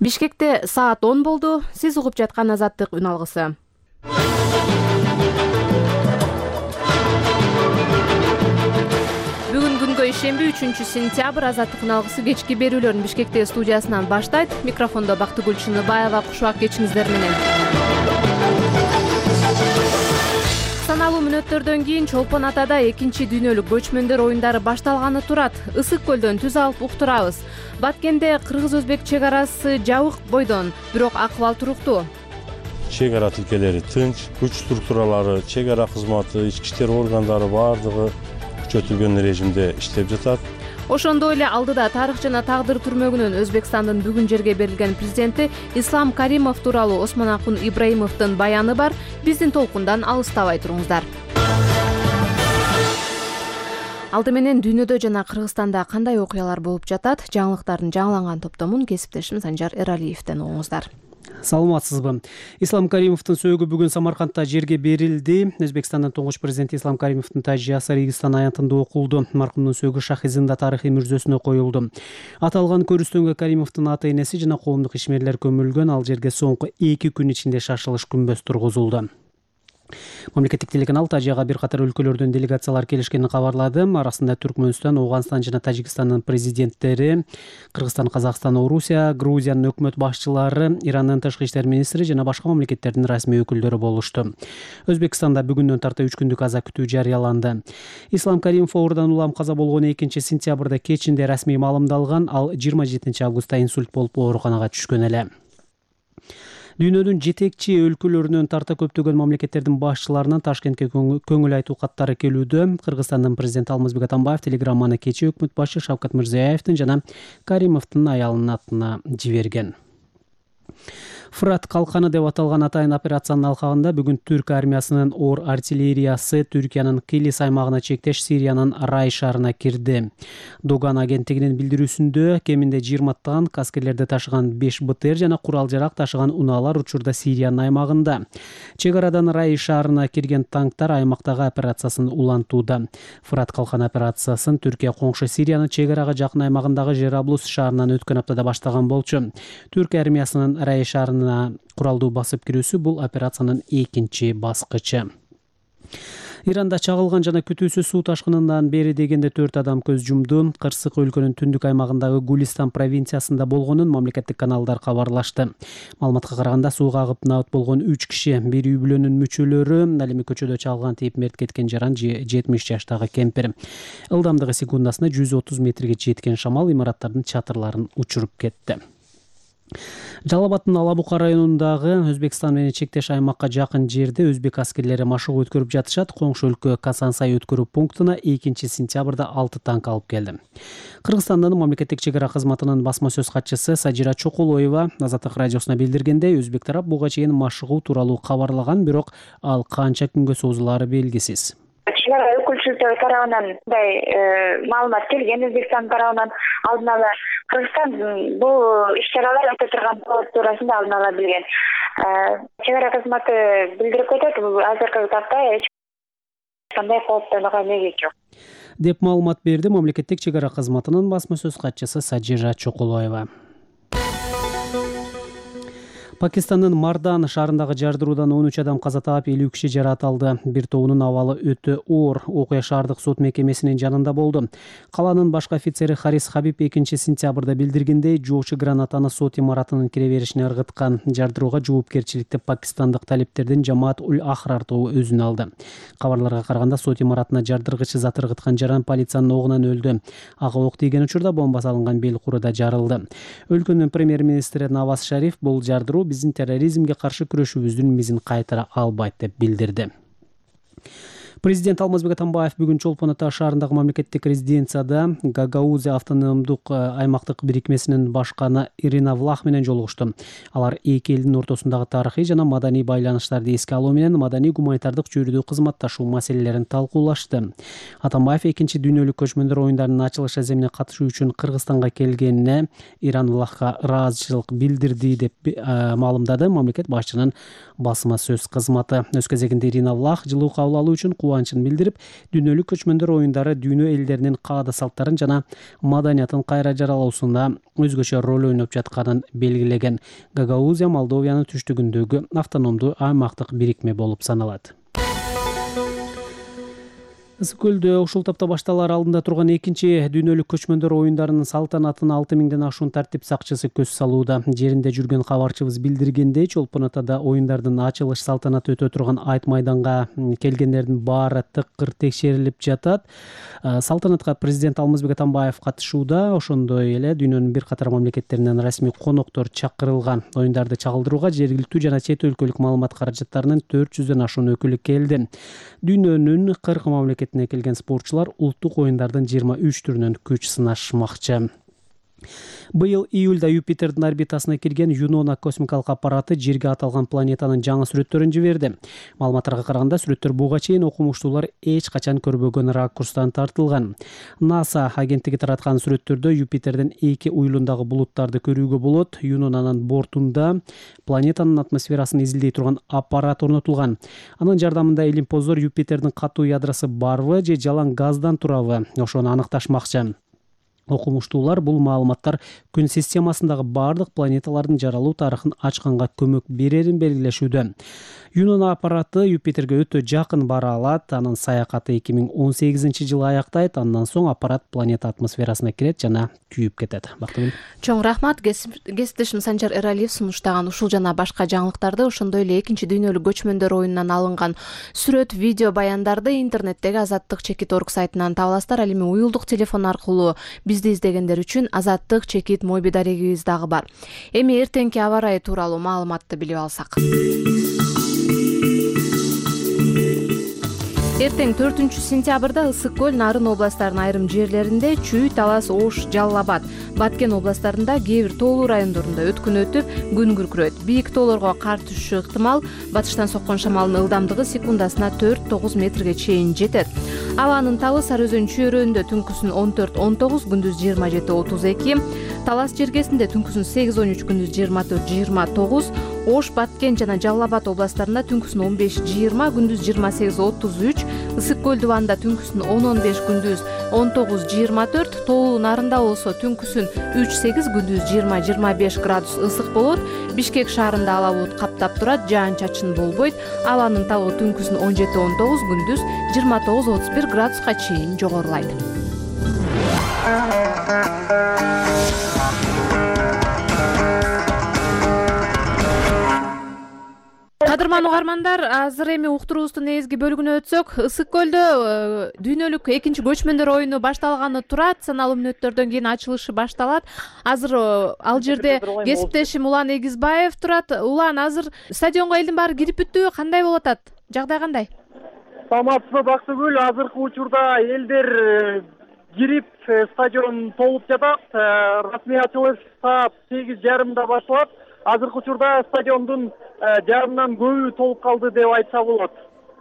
Бишкекте саат 10 болду. Сиз угуп жаткан Азаттык үн алгысы. Бүгүн күнгө ишемби 3-сентябрь Азаттык үн алгысы кечки берүүлөрүн Бишкекте студиясынан баштайт. Микрофондо Бактыгүл Чыныбаева, кушубак кечиңиздер менен. Саналуу мүнөттөрдөн кийин Чолпон Атада 2-дүйнөлүк көчмөндөр оюндары башталганы турат. Ысык көлдөн түз алып уктурабыз. Баткенде кыргыз-өзбек чек арасы жабык бойдон, бирок акыбал туруктуу. Чек ара тилкелери тынч, күч структуралары, чек ара кызматы, ички иштер органдары бардыгы күчөтүлгөн режимде иштеп жатат. Ошондой эле алдыда тарых жана тагдыр түрмөгүнөн Өзбекстандын бүгүн жерге берилген президенти Ислам Каримов тууралуу Осмонакун Ибраимовдун баяны бар. Биздин толкундан алыстабай туруңуздар. Алды менен дүйнөдө жана Кыргызстанда кандай окуялар болуп жатат? Жаңылыктардын жаңыланган топтомун кесиптешим Санжар Эралиевден угуңуздар. Саламатсызбы. Ислам Каримовдун сөөгү бүгүн Самаркандта жерге берилди. Өзбекстандын туңгуч президенти Ислам Каримовдун тажыясы Регистан аянтында окулду. Маркумдун сөөгү Шахизында тарыхый мүрзөсүнө коюлду. Аталган көрүстөнгө Каримовдун ата-энеси жана коомдук ишмерлер көмүлгөн. Ал жерге соңку 2 күн ичинде шашылыш күмбөз тургузулду. Мамлекеттик телеканал тажыяга бир катар өлкөлөрдөн делегациялар келишкенин кабарлады. Арасында Түркмөнстан, Ооганстан жана Тажикстандын президенттери, Кыргызстан, Казакстан, Орусия, Грузиянын өкмөт башчылары, Ирандын тышкы иштер министри жана башка мамлекеттердин расмий өкүлдөрү болушту. Өзбекстанда бүгүндөн тарта 3 күндүк аза күтүү жарыяланды. Ислам Каримов оорудан улам каза болгон 2-сентябрда кечинде расмий маалымдалган. Ал 27 августта инсульт болуп ооруканага түшкөн эле. Дүйнөнүн жетекчи өлкөлөрүнөн тарта көптөгөн мамлекеттердин башчыларынан Ташкентке көңүл айтуу каттары келүүдө. Кыргызстандын президенти Алмазбек Атамбаев телеграмманы кечээ өкмөт башчы Шавкат Мирзиёевдин жана Каримовдун аялынын атына жиберген. Фырат калканы деп аталган атайын операциянын алкагында бүгүн түрк армиясынын оор артиллериясы Түркиянын Килис аймагына чектеш Сириянын Рай шаарына кирди. Доган агенттигинин билдирүүсүндө кеминде 20 танк, аскерлерди ташыган 5 БТР жана курал-жарак ташыган унаалар учурда Сириянын аймагында. Чек арадан Рай шаарына кирген танктар аймактагы операциясын улантууда. Фырат калкан операциясын Түркия коңшу Сириянын чек арага жакын аймагындагы Жераблус шаарынан өткөн аптада баштаган болчу. Түрк армиясынын Рай шаарына куралдуу басып кирүүсү бул операциянын 2 баскычы. Иранда чагылган жана күтүүсүз суу ташкынынан бери дегенде 4 адам көз жумду. Кырсык өлкөнүн түндүк аймагындагы Гулистан провинциясында болгонун мамлекеттик каналдар кабарлашты. Маалыматка караганда сууга агып набыт болгон 3 киши, бир үй бүлөнүн мүчөлөрү, ал эми көчөдө чагылган тийип мерт кеткен жаран 70 жаштагы кемпир. Ылдамдыгы секундасына 130 метрге жеткен шамал имараттардын чатырларын учуруп кетти. Жалал Абадтын Алабука районундагы Өзбекстан менен чектеш аймакка жакын жерде өзбек аскерлери машыгуу өткөрүп жатышат. Коңшу өлкө Касансай өткөрүү пунктуна 2-сентябрда 6 танк алып келди. Кыргызстандын мамлекеттик чек ара кызматынын басма сөз катчысы Сажира Чокулоева Азаттык радиосуна билдиргендей, өзбек тарап буга чейин машыгуу тууралуу кабарлаган, бирок ал канча күнгө созулаары белгисиз. Өкүлчүлүктөр тарабынан мындай маалымат келген, Өзбекстан тарабынан алдын ала Кыргызстан бул иш-чаралар өтө турган туурасында алдын ала билген. Чек ара кызматы билдирип кетет, азыркы тапта эч кандай кооптонууга негиз жок деп маалымат берди мамлекеттик чек ара кызматынын басма сөз катчысы Сажира Чокулоева. Пакистандын Мардан шаарындагы жардыруудан 13 адам каза таап, 50 киши жаракат алды. Бир тобунун абалы өтө оор. Окуя шаардык сот мекемесинин жанында болду. Калаанын башкы офицери Харис Хабиб 2-сентябрда билдиргендей, жоочу гранатаны сот имаратынын кире беришине ыргыткан. Жардырууга жоопкерчиликти пакистандык талиптердин Жамаат Уль Ахрар тобу өзүнө алды. Кабарларга караганда сот имаратына жардыргычы зат ыргыткан жаран полициянын огунан өлдү. Ага ок тийген учурда бомба салынган бел куру да жарылды. Өлкөнүн премьер-министри Наваз Шариф бул жардыруу биздин терроризмге каршы күрөшүүбүздүн мизин кайтара албайт деп билдирди. Президент Алмазбек Атамбаев бүгүн Чолпон Ата шаарындагы мамлекеттик резиденцияда Гагаузе автономдук аймактык бирикмесинин башканы Ирина Влах менен жолугушту. Алар эки элдин ортосундагы тарыхый жана маданий байланыштарды эске алуу менен маданий гуманитардык чөйрөдө кызматташуу маселелерин талкуулашты. Атамбаев 2-дүйнөлүк көчмөндөр оюндарынын ачылыш аземине катышуу үчүн Кыргызстанга келгенине Иран Влахка ыраазычылык билдирди деп маалымдады мамлекет башчынын басма сөз кызматы. Өз кезегинде Ирина Влах жылуу кабыл алуу үчүн кубанычын билдирип, дүйнөлүк көчмөндөр оюндары дүйнө элдеринин каада салттарын жана маданиятын кайра жаралуусунда өзгөчө роль ойноп жатканын белгилеген. Гагаузия Молдовиянын түштүгүндөгү автономдуу аймактык бирикме болуп саналат. Ысык көлдө ушул тапта башталаар алдында турган экинчи дүйнөлүк көчмөндөр оюндарынын салтанатына 6000ден ашуун тартип сакчысы көз салууда. Жеринде жүргөн кабарчыбыз билдиргендей, Чолпон Атада оюндардын ачылыш салтанаты өтө турган айт майданга келгендердин баары тыкыр текшерилип жатат. Салтанатка президент Алмазбек Атамбаев катышууда, ошондой эле дүйнөнүн бир катар мамлекеттеринен расмий коноктор чакырылган. Оюндарды чагылдырууга жергиликтүү жана чет өлкөлүк маалымат каражаттарынын 400дөн ашуун өкүлү келди. Дүйнөнүн 40 мамлекетине келген спортчулар улуттук оюндардын 23 түрүнөн күч сынашмакчы. Быйыл июлда Юпитердин орбитасына кирген Юнона космикалык аппараты жерге аталган планетанын жаңы сүрөттөрүн жиберди. Маалыматтарга караганда, сүрөттөр буга чейин окумуштуулар эч качан көрбөгөн ракурстан тартылган. НАСА агенттиги тараткан сүрөттөрдө Юпитердин эки уюлундагы булуттарды көрүүгө болот. Юнонанын бортунда планетанын атмосферасын изилдей турган аппарат орнотулган. Анын жардамында илимпоздор Юпитердин катуу ядросу барбы же жалаң газдан турабы, ошону аныкташмакчы. Окумуштуулар бул маалыматтар күн системасындагы бардык планеталардын жаралуу тарыхын ачканга көмөк берерин белгилешүүдө. Юнона аппараты Юпитерге өтө жакын бара алат. Анын саякаты 2018-жылы аяктайт. Андан соң аппарат планета атмосферасына кирет жана күйүп кетет. Бактыгүл. Чоң рахмат. Кесиптешим Санжар Эралиев сунуштаган ушул жана башка жаңылыктарды, ошондой эле экинчи дүйнөлүк көчмөндөр оюнунан алынган сүрөт, видео баяндарды интернеттеги Азаттык.org сайтынан таба аласыздар. Ал эми уюлдук телефон аркылуу бизди издегендер үчүн Азаттык моби дарегибиз дагы бар. Эми эртеңки аба ырайы тууралуу маалыматты билип алсак. Эртең 4-сентябрда Ысык көл, Нарын областарынын айрым жерлеринде, Чүй, Талас, Ош, Жалал Абад, Баткен областарында кээ бир тоолуу райондорунда өткүн өтүп, күн күркүрөйт. Бийик тоолорго кар түшүшү ыктымал. Батыштан соккон шамалдын ылдамдыгы секундасына 4-9 метрге чейин жетет. Абанын табы Сары өзөн чөйрөүндө түнкүсүн 14-19, күндүз 27-32, Талас жергесинде түнкүсүн 8-13, күндүз 24-29, Ош, Баткен жана Жалал Абад областарында түнкүсүн 15-20, күндүз 28-33, Ысык көл дубанда түнкүсүн 10-15, күндүз 19-24, тоолуу Нарында болсо түнкүсүн 3-8, күндүз 20-25 градус ысык болот. Бишкек шаарында ала булут каптап турат, жаан-чачын болбойт. Абанын табы түнкүсүн 17-19, күндүз 29-31 градуска чейин жогорулайт. Кадырман угармандар, азыр эми уктуруубуздун негизги бөлүгүнө өтсөк, Ысык көлдө дүйнөлүк экинчи көчмөндөр оюну башталганы турат. Саналуу мүнөттөрдөн кийин ачылышы башталат. Азыр ал жерде кесиптешим Улан Эгизбаев турат. Улан, азыр стадионго элдин баары кирип бүттүбү? Кандай болуп атат? Жагдай кандай? Саламатсызбы, Бактыгүл? Азыркы учурда элдер кирип, стадион толуп жатат. Расмий ачылыш саат 8:30 башталат. Азыркы учурда стадиондун жарымынан көбү толуп калды деп айтса болот.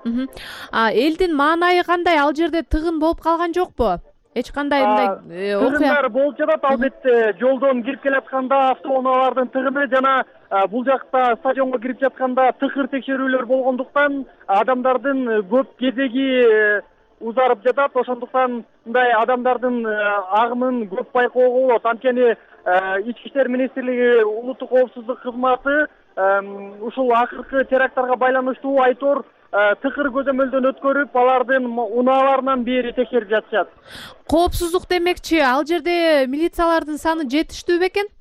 Элдин маанайы кандай? Ал жерде тыгын болуп калган жокпу? Эч кандай мындай окуя? Тыгындар болуп жатат, албетте. Жолдон кирип келатканда автоунаалардын тыгыны жана бул жакта стадионго кирип жатканда тыкыр текшерүүлөр болгондуктан адамдардын көп кезеги узарып жатат. Ошондуктан мындай адамдардын агымын көп байкоого болот. Анткени Ички иштер министрлиги улуттук коопсуздук кызматы ушул акыркы теракттарга байланыштуу айтор тыкыр көзөмөлдөн өткөрүп, алардын унааларынан бери текшерип жатышат. Коопсуздук демекчи, ал жерде милициялардын саны жетиштүү бекен?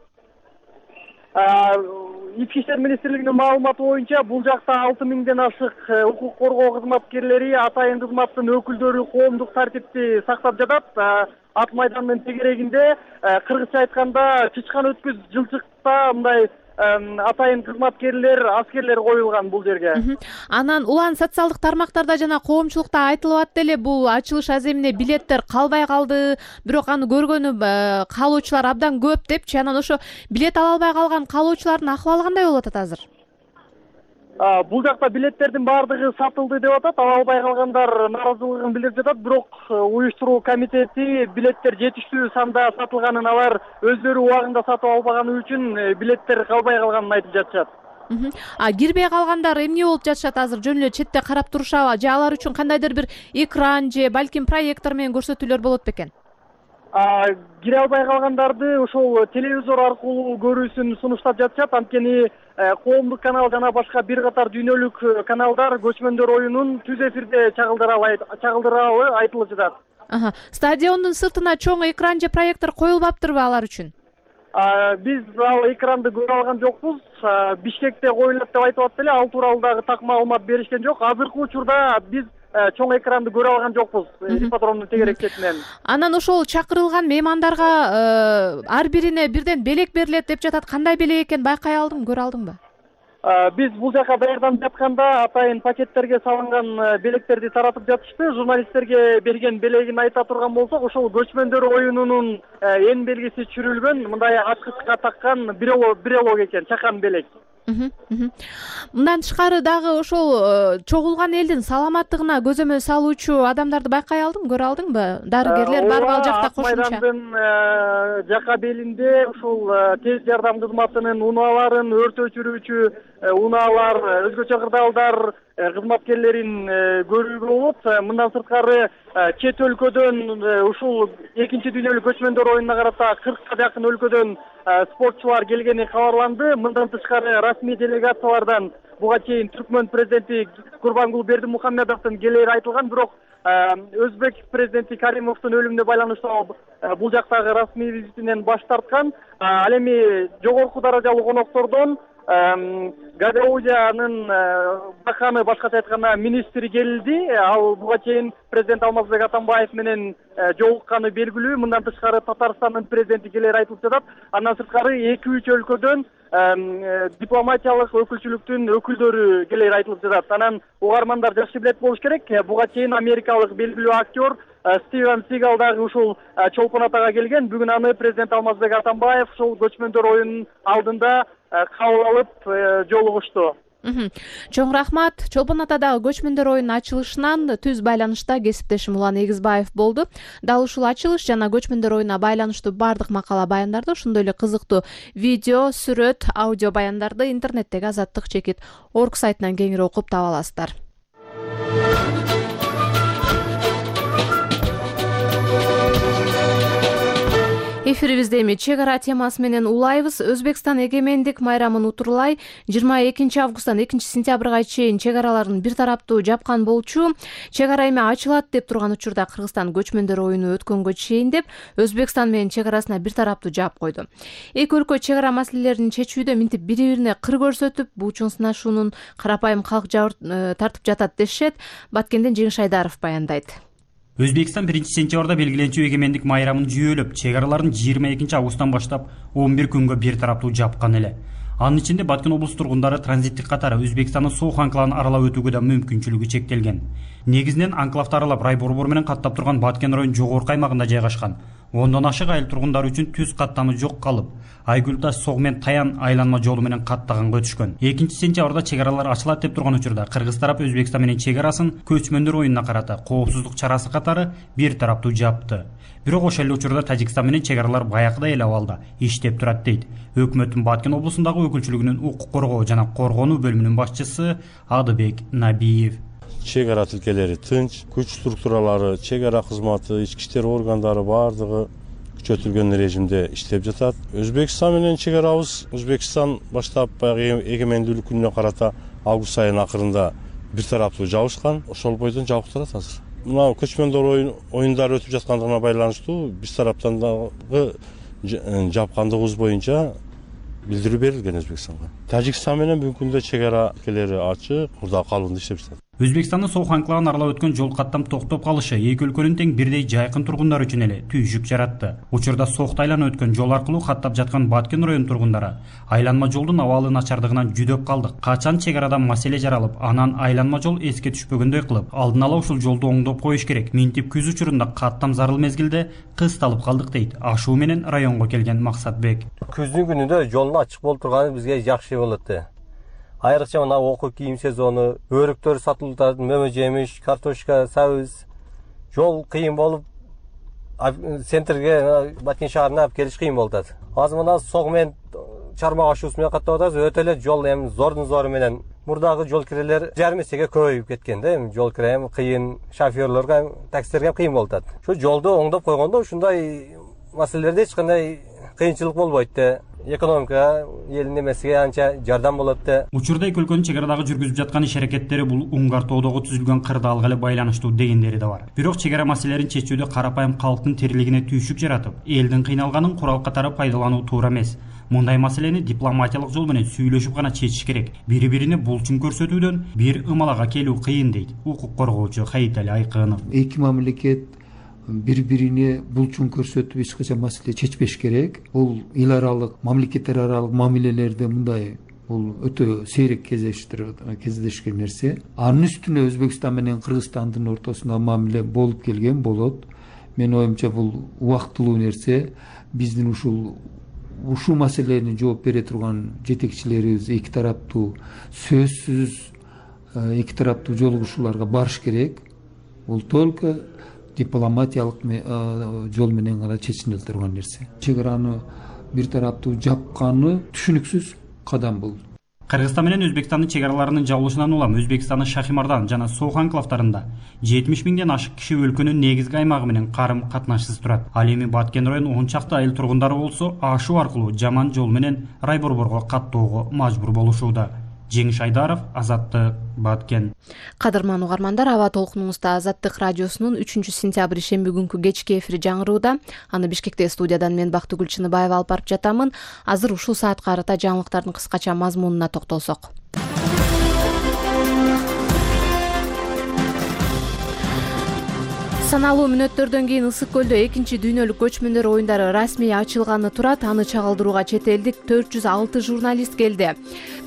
Ички иштер министрлигинин маалыматы боюнча бул жакта 6000ден ашык укук коргоо кызматкерлери, атайын кызматтын өкүлдөрү коомдук тартипти сактап жатат. Ат майдандын тегерегинде, кыргызча айтканда, чычкан өткүз жылчыкта мындай атайын кызматкерлер, аскерлер коюлган бул жерге. Анан Улан, социалдык тармактарда жана коомчулукта айтылып атты эле, бул ачылыш аземине билеттер калбай калды, бирок аны көргөнү каалоочулар абдан көп депчи. Анан ошо билет ала албай калган каалоочулардын акыбалы кандай болуп атат азыр? Бул жакта билеттердин баардыгы сатылды деп атат. Ала албай калгандар нааразылыгын билдирип жатат. Бирок уюштуруу комитети билеттер жетиштүү санда сатылганын, алар өздөрү убагында сатып албаганы үчүн билеттер калбай калганын айтып жатышат. Кирбей калгандар эмне болуп жатышат азыр? Жөн эле четте карап турушабы? Же алар үчүн кандайдыр бир экран же балким проектор менен көрсөтүүлөр болот бекен? Кире албай калгандарды ошол телевизор аркылуу көрүүсүн сунуштап жатышат. Анткени коомдук канал жана башка бир катар дүйнөлүк каналдар көчмөндөр оюнун түз эфирде чагылдыралы айтылып жатат. Стадиондун сыртына чоң экран же проектор коюлбаптырбы алар үчүн? Биз ал экранды көрө алган жокпуз. Бишкекте коюлат деп айтып атты эле, ал тууралуу дагы так маалымат беришкен жок. Азыркы учурда биз чоң экранды көрө алган жокпуз ипподромдун тегерек четинен. Анан ошол чакырылган меймандарга ар бирине бирден белек берилет деп жатат. Кандай белек экенин байкай алдыңбы, көрө алдыңбы? Биз бул жака даярданып жатканда атайын пакеттерге салынган белектерди таратып жатышты. Журналисттерге берген белегин айта турган болсок, ошол көчмөндөр оюнунун эң белгиси чүрүлгөн мындай ачкычка таккан брелок экен, чакан белек. Мындан тышкары дагы ошол чогулган элдин саламаттыгына көзөмөл салуучу адамдарды байкай алдыңбы, көрө алдыңбы? Дарыгерлер барбы ал жакта кошумча? Майдандын жака белинде ушул тез жардам кызматынын унааларын, өрт өчүрүүчү унаалар, өзгөчө кырдаалдар кызматкерлерин көрүүгө болот. Мындан сырткары чет өлкөдөн ушул экинчи дүйнөлүк көчмөндөр оюнуна карата 40ка жакын өлкөдөн спортчулар келгени кабарланды. Мындан тышкары расмий делегациялардан буга чейин Түркмөн президенти Курбангул Бердимухамедовдун келери айтылган, бирок Өзбек президенти Каримовдун өлүмүнө байланыштуу бул жактагы расмий визитинен баш тарткан. Ал эми жогорку даражалуу коноктордон Гагаузиянын баканы, башкача айтканда министри келди. Ал буга чейин президент Алмазбек Атамбаев менен жолукканы белгилүү. Мындан тышкары Татарстандын президенти келери айтылып жатат. Андан сырткары 2-3 өлкөдөн дипломатиялык өкүлчүлүктүн өкүлдөрү келери айтылып жатат. Анан угармандар жакшы билет болуш керек. Буга чейин америкалык белгилүү актер Стивен Сигал дагы ушул Чолпон Атага келген. Бүгүн аны президент Алмазбек Атамбаев ушул көчмөндөр оюнунун алдында кабыл алып жолугушту. Чоң рахмат. Чолпон Атадагы көчмөндөр оюнунун ачылышынан түз байланышта кесиптешим Улан Эгизбаев болду. Дал ушул ачылыш жана көчмөндөр оюнуна байланыштуу бардык макала баяндарды, ошондой эле кызыктуу видео, сүрөт, аудио баяндарды интернеттеги Азаттык чекит org сайтынан кеңири окуп таба аласыздар. Эфирибизде эми чек ара темасы менен улайбыз. Өзбекстан эгемендик майрамын утурлай 22 августтан 2 сентябрга чейин чек араларын бир тараптуу жапкан болчу. Чек ара эми ачылат деп турган учурда Кыргызстан көчмөндөр оюну өткөнгө чейин деп Өзбекстан менен чек арасына бир тараптуу жаап койду. Эки өлкө чек ара маселелерин чечүүдө минтип бири-бирине кыр көрсөтүп, бул чоң сынашуунун карапайым калк тартып жатат дешет. Баткенден Жеңиш Айдаров баяндайт. Өзбекстан 1 сентябрда белгиленчү эгемендик майрамын жүйөлөп, чек араларын 22 августтан баштап 11 күнгө бир тараптуу жапкан эле. Анын ичинде Баткен облус тургундары транзиттик катары Өзбекстандын Соох анклавын аралап өтүүгө да мүмкүнчүлүгү чектелген. Негизинен анклавды аралап рай борбору менен каттап турган Баткен районунун жогорку аймагында жайгашкан. Ондон ашык айыл тургундары үчүн түз каттамы жок калып, Айгүл таш Сог менен Таян айланма жолу менен каттаганга өтүшкөн. 2 сентябрда чек аралар ачылат деп турган учурда Кыргыз тарап Өзбекстан менен чек арасын көчмөндөр оюнуна карата коопсуздук чарасы катары бир тараптуу жапты. Бирок ошол эле учурда Тажикстан менен чек аралар баягыдай эле абалда иштеп турат дейт өкмөттүн Баткен облусундагы өкүлчүлүгүнүн укук коргоо жана коргонуу бөлүмүнүн башчысы Адыбек Набиев. Чек ара тилкелери тынч, күч структуралары, чек ара кызматы, ички иштер органдары бардыгы күчөтүлгөн режимде иштеп жатат. Өзбекстан менен чек арабыз Өзбекстан баштап баягы эгемендүүлүк күнүнө карата август айынын акырында бир тараптуу жабышкан. Ошол бойдон жабык турат азыр. Мына көчмөндөр оюндары өтүп жаткандыгына байланыштуу биз тараптан дагы жапкандыгыбыз боюнча билдирүү берилген Өзбекстанга. Тажикстан менен бүгүнкү күндө чек ара тилкелери ачык, мурда калыбында иштеп жатат. Өзбекстандын Соох анклавын аралап өткөн жол каттам токтоп калышы эки өлкөнүн тең бирдей жайкын тургундар үчүн эле түйшүк жаратты. Учурда Соохто айланып өткөн жол аркылуу каттап жаткан Баткен районунун тургундары айланма жолдун абалы начардыгынан жүдөп калдык. Качан чек арадан маселе жаралып, анан айланма жол эске түшпөгөндөй кылып, алдын ала ушул жолду оңдоп коюш керек. Минтип күз учурунда каттам зарыл мезгилде кысталып калдык дейт ашуу менен районго келген Максатбек. Күздүн күнүндө жолдун ачык болуп турганы бизге жакшы болот. Айрыкча мына окуу кийим сезону, өрүктөр сатылып атат, мөмө жемиш, картошка, сабыз. Жол кыйын болуп, центрге, Баткен шаарына алып келиш кыйын болуп атат. Азыр мына Сог менен чармак ашуусу менен каттап атабыз. Өтө эле жол эми зордун зору менен мурдагы жол кирелер жарым эсеге көбөйүп кеткен да. Эми жол кире эми кыйын, шофёрлорго, таксилерге кыйын болуп атат. Ошо жолду оңдоп койгондо ушундай маселелерде эч кандай кыйынчылык болбойт да. Экономика элдин эмесиге анча жардам болот да. Учурда эки өлкөнүн чек арадагы жүргүзүп жаткан иш аракеттери бул Уңгар тоодогу түзүлгөн кырдаалга эле байланыштуу дегендери да бар. Бирок чек ара маселелерин чечүүдө карапайым калктын тирилигине түйшүк жаратып, элдин кыйналганын курал катары пайдалануу туура эмес. Мындай маселени дипломатиялык жол менен сүйлөшүп гана чечиш керек. Бири-бирине булчун көрсөтүүдөн бир ымалага келүү кыйын дейт укук коргоочу Хайитали Айкынов. Эки мамлекет бири-бирине булчун көрсөтүп эч качан маселе чечпеш керек. Бул эл аралык, мамлекеттер аралык мамилелерде мындай бул өтө сейрек кездешкен нерсе. Анын үстүнө Өзбекстан менен Кыргызстандын ортосунда мамиле болуп келген болот. Менин оюмча бул убактылуу нерсе. Биздин ушул маселени жооп бере турган жетекчилерибиз эки тараптуу сөзсүз эки тараптуу жолугушууларга барыш керек. Бул только дипломатиялык жол менен гана чечиле турган нерсе. Чек араны бир тараптуу жапканы түшүнүксүз кадам бул. Кыргызстан менен Өзбекстандын чек араларынын жабылышынан улам Өзбекстандын Шахимардан жана Соох анклавдарында 70 миңден ашык киши өлкөнүн негизги аймагы менен карым катнашсыз турат. Ал эми Баткен районунун 10 чакты айыл тургундары болсо ашуу аркылуу жаман жол менен Райборборго каттоого мажбур болушууда. Жеңиш Айдаров, Азаттык, Баткен. Кадырман угармандар, аба толкунуңузда Азаттык радиосунун 3-сентябрь шемби күнкү кечки эфири жаңырууда. Аны Бишкекте студиядан мен Бактыгүл Чыныбаева алып барып жатамын. Азыр ушул саатка карата жаңылыктардын кыскача мазмунуна токтолсок. Саналуу мүнөттөрдөн кийин Ысык көлдө 2-дүйнөлүк көчмөндөр оюндары расмий ачылганы турат. Аны чагылдырууга чет элдик 406 журналист келди.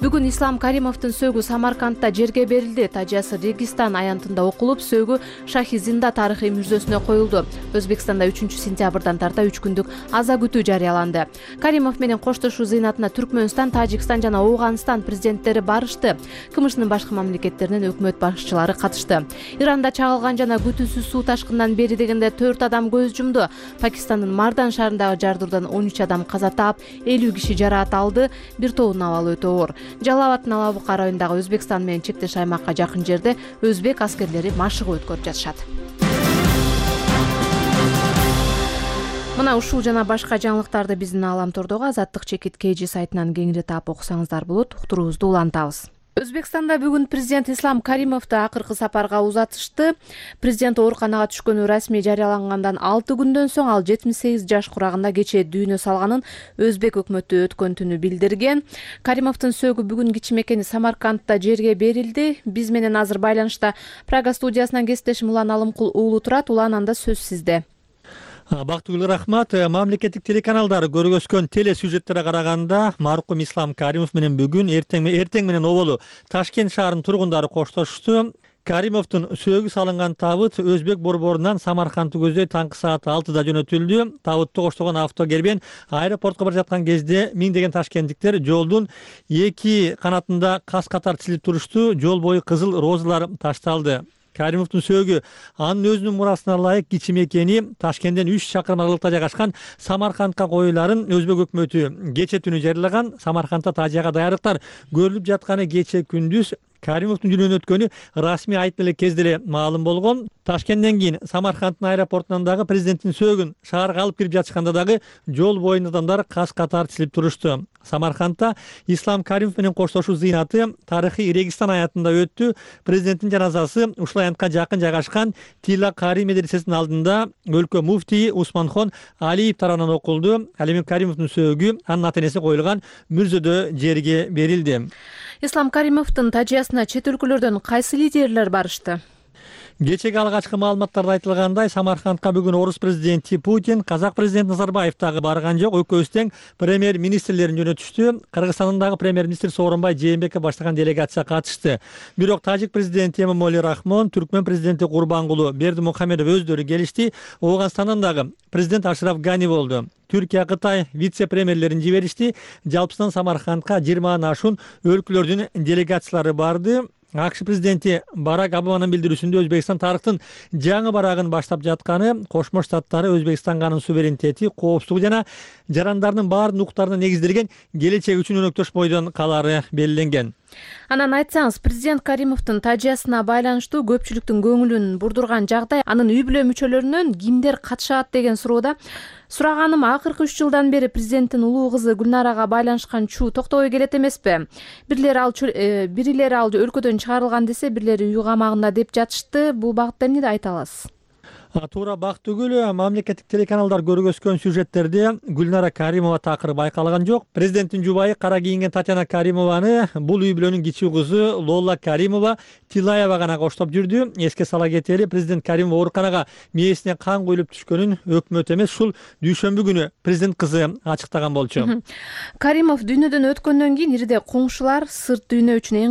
Бүгүн Ислам Каримовдун сөөгү Самаркандда жерге берилди. Тажиясы Регистан аянтында окулуп, сөөгү Шахи-Зинда тарыхый мүрзөсүнө коюлду. Өзбекстанда 3-сентябрдан тарта 3 күндүк аза күтүү жарыяланды. Каримов менен коштошуу зыйнатына Түркмөнстан, Тажикстан жана Ооганстан президенттери барышты. КМШнын башка мамлекеттеринен өкмөт башчылары катышты. Иранда чагылган жана күтүүсүз суу ташкынынан бери дегенде 4 адам көз жумду. Пакистандын Мардан шаарындагы жардыруудан 13 адам каза таап, 50 киши жараат алды. Бир тобунун абалы өтө оор. Жалал-Абадтын Алабука районундагы Өзбекстан менен чектеш аймакка жакын жерде өзбек аскерлери машыгуу өткөрүп жатышат. Мына ушул жана башка жаңылыктарды биздин Ааламтордогу Азаттык чекит KG сайтынан кеңири таап окусаңыздар болот. Уктуруубузду улантабыз. Өзбекстанда бүгүн президент Ислам Каримовду акыркы сапарга узатышты. Президент ооруканага түшкөнү расмий жарыялангандан 6 күндөн соң ал 78 жаш курагында кечээ дүйнө салганын өзбек өкмөтү өткөн түнү билдирген. Каримовдун сөөгү бүгүн кичи мекени Самаркандда жерге берилди. Биз менен азыр байланышта Прага студиясынан кесиптешим Улан Алымкул уулу турат. Улан, анда сөз сизде. Бактыгүл рахмат. Мамлекеттик телеканалдар көргөзгөн телесюжеттерге караганда маркум Ислам Каримов менен бүгүн эртең менен оболу Ташкент шаарынын тургундары коштошушту. Каримовдун сөөгү салынган табыт Өзбек борборунан Самаркандты көздөй таңкы саат 6-да жөнөтүлдү. Табытты коштогон автокербен аэропортко бара жаткан кезде миңдеген ташкенттиктер жолдун эки канатында кас катар тизилип турушту. Жол бою кызыл розалар ташталды. Каримовдун сөөгү анын өзүнүн мурасына ылайык кичи мекени Ташкенттен 3 чакырым аралыкта жайгашкан Самаркандка коюларын өзбек өкмөтү кечээ түнү жарыялаган. Самаркандда тажияга даярдыктар көрүлүп жатканы кечээ күндүз Каримовдун жүргөнү өткөнү расмий айтып эле кезде эле маалым болгон. Ташкенттен кийин Самаркандтын аэропортунан дагы президенттин сөөгүн шаарга алып кирип жатышканда дагы жол боюнда адамдар кас катар тизилип турушту. Самаркандда Ислам Каримов менен коштошуу зыйнаты тарыхый Регистан аянтында өттү. Президенттин жаназасы ушул аянтка жакын жайгашкан Тила Кари медресесинин алдында өлкө муфтийи Усманхон Алиев тарабынан окулду. Ал эми Каримовдун сөөгү анын ата энеси коюлган мүрзөдө жерге берилди. Ислам Каримовдун тажиясына чет өлкөлөрдөн кайсы лидерлер барышты? Кечеги алгачкы маалыматтарда айтылгандай, Самаркандка бүгүн орус президенти Путин, казак президенти Назарбаев дагы барган жок. Экөөсү тең премьер-министрлерин жөнөтүштү. Кыргызстандын дагы премьер-министри Сооронбай Жээнбеков баштаган делегация катышты. Бирок тажик президенти Эмомали Рахмон, түркмөн президенти Курбангулу Бердимухамедов өздөрү келишти. Ооганстандын дагы президент Ашраф Гани болду. Түркия, Кытай вице-премьерлерин жиберишти. Жалпысынан Самаркандка 20 ашуун өлкөлөрдүн делегациялары барды. АКШ президенти Барак Обаманын билдирүүсүндө Өзбекстан тарыхтын жаңы барагын баштап жатканы, Кошмо Штаттары Өзбекстанга анын суверенитети, коопсуздугу жана жарандарынын баардык укуктарына негизделген келечек үчүн өнөктөш бойдон калары белгиленген. Анан айтсаңыз, президент Каримовдун тажыясына байланыштуу көпчүлүктүн көңүлүн бурдурган жагдай, анын үй бүлө мүчөлөрүнөн кимдер катышат деген суроода сураганым акыркы 3 жылдан бери президенттин улуу кызы Гүлнарага байланышкан чуу токтобой келет эмеспи? Бирилери ал өлкөдөн чыгарылган десе, бирлери үй камагында деп жатышты. Бул багытта эмне айта аласыз? Туура бак түгүл, мамлекеттик телеканалдар көргөзгөн сюжеттерде Гүлнара Каримова такыры байкалган жок. Президенттин жубайы кара кийинген Татьяна Каримованы бул үй бүлөнүн кичүү кызы Лола Каримова Тилаева гана коштоп жүрдү. Эске сала кетели, президент Каримова ооруканага мээсине кан куюлуп түшкөнүн өкмөт эмес, ушул дүйшөмбү күнү президент кызы ачыктаган болчу. Каримов дүйнөдөн өткөндөн кийин ириде коңшулар сырт дүйнө үчүн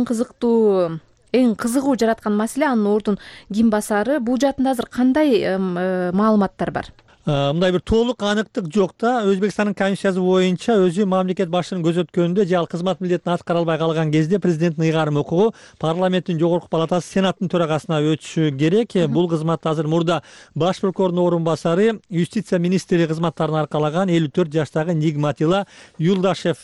эң кызыгуу жараткан маселе анын ордун ким басары. Бул жаатында азыр кандай маалыматтар бар? Мындай бир толук аныктык жок да. Өзбекстандын конституциясы боюнча өзү мамлекет башчынын көзөткөнүндө же ал кызмат милдетин аткара албай калган кезде президенттин ыйгарым укугу парламенттин жогорку палатасы сенаттын төрагасына өтүшү керек. Бул кызматта азыр мурда баш прокурордун орун басары, юстиция министри кызматтарын аркалаган 54 жаштагы Нигматилла Юлдашев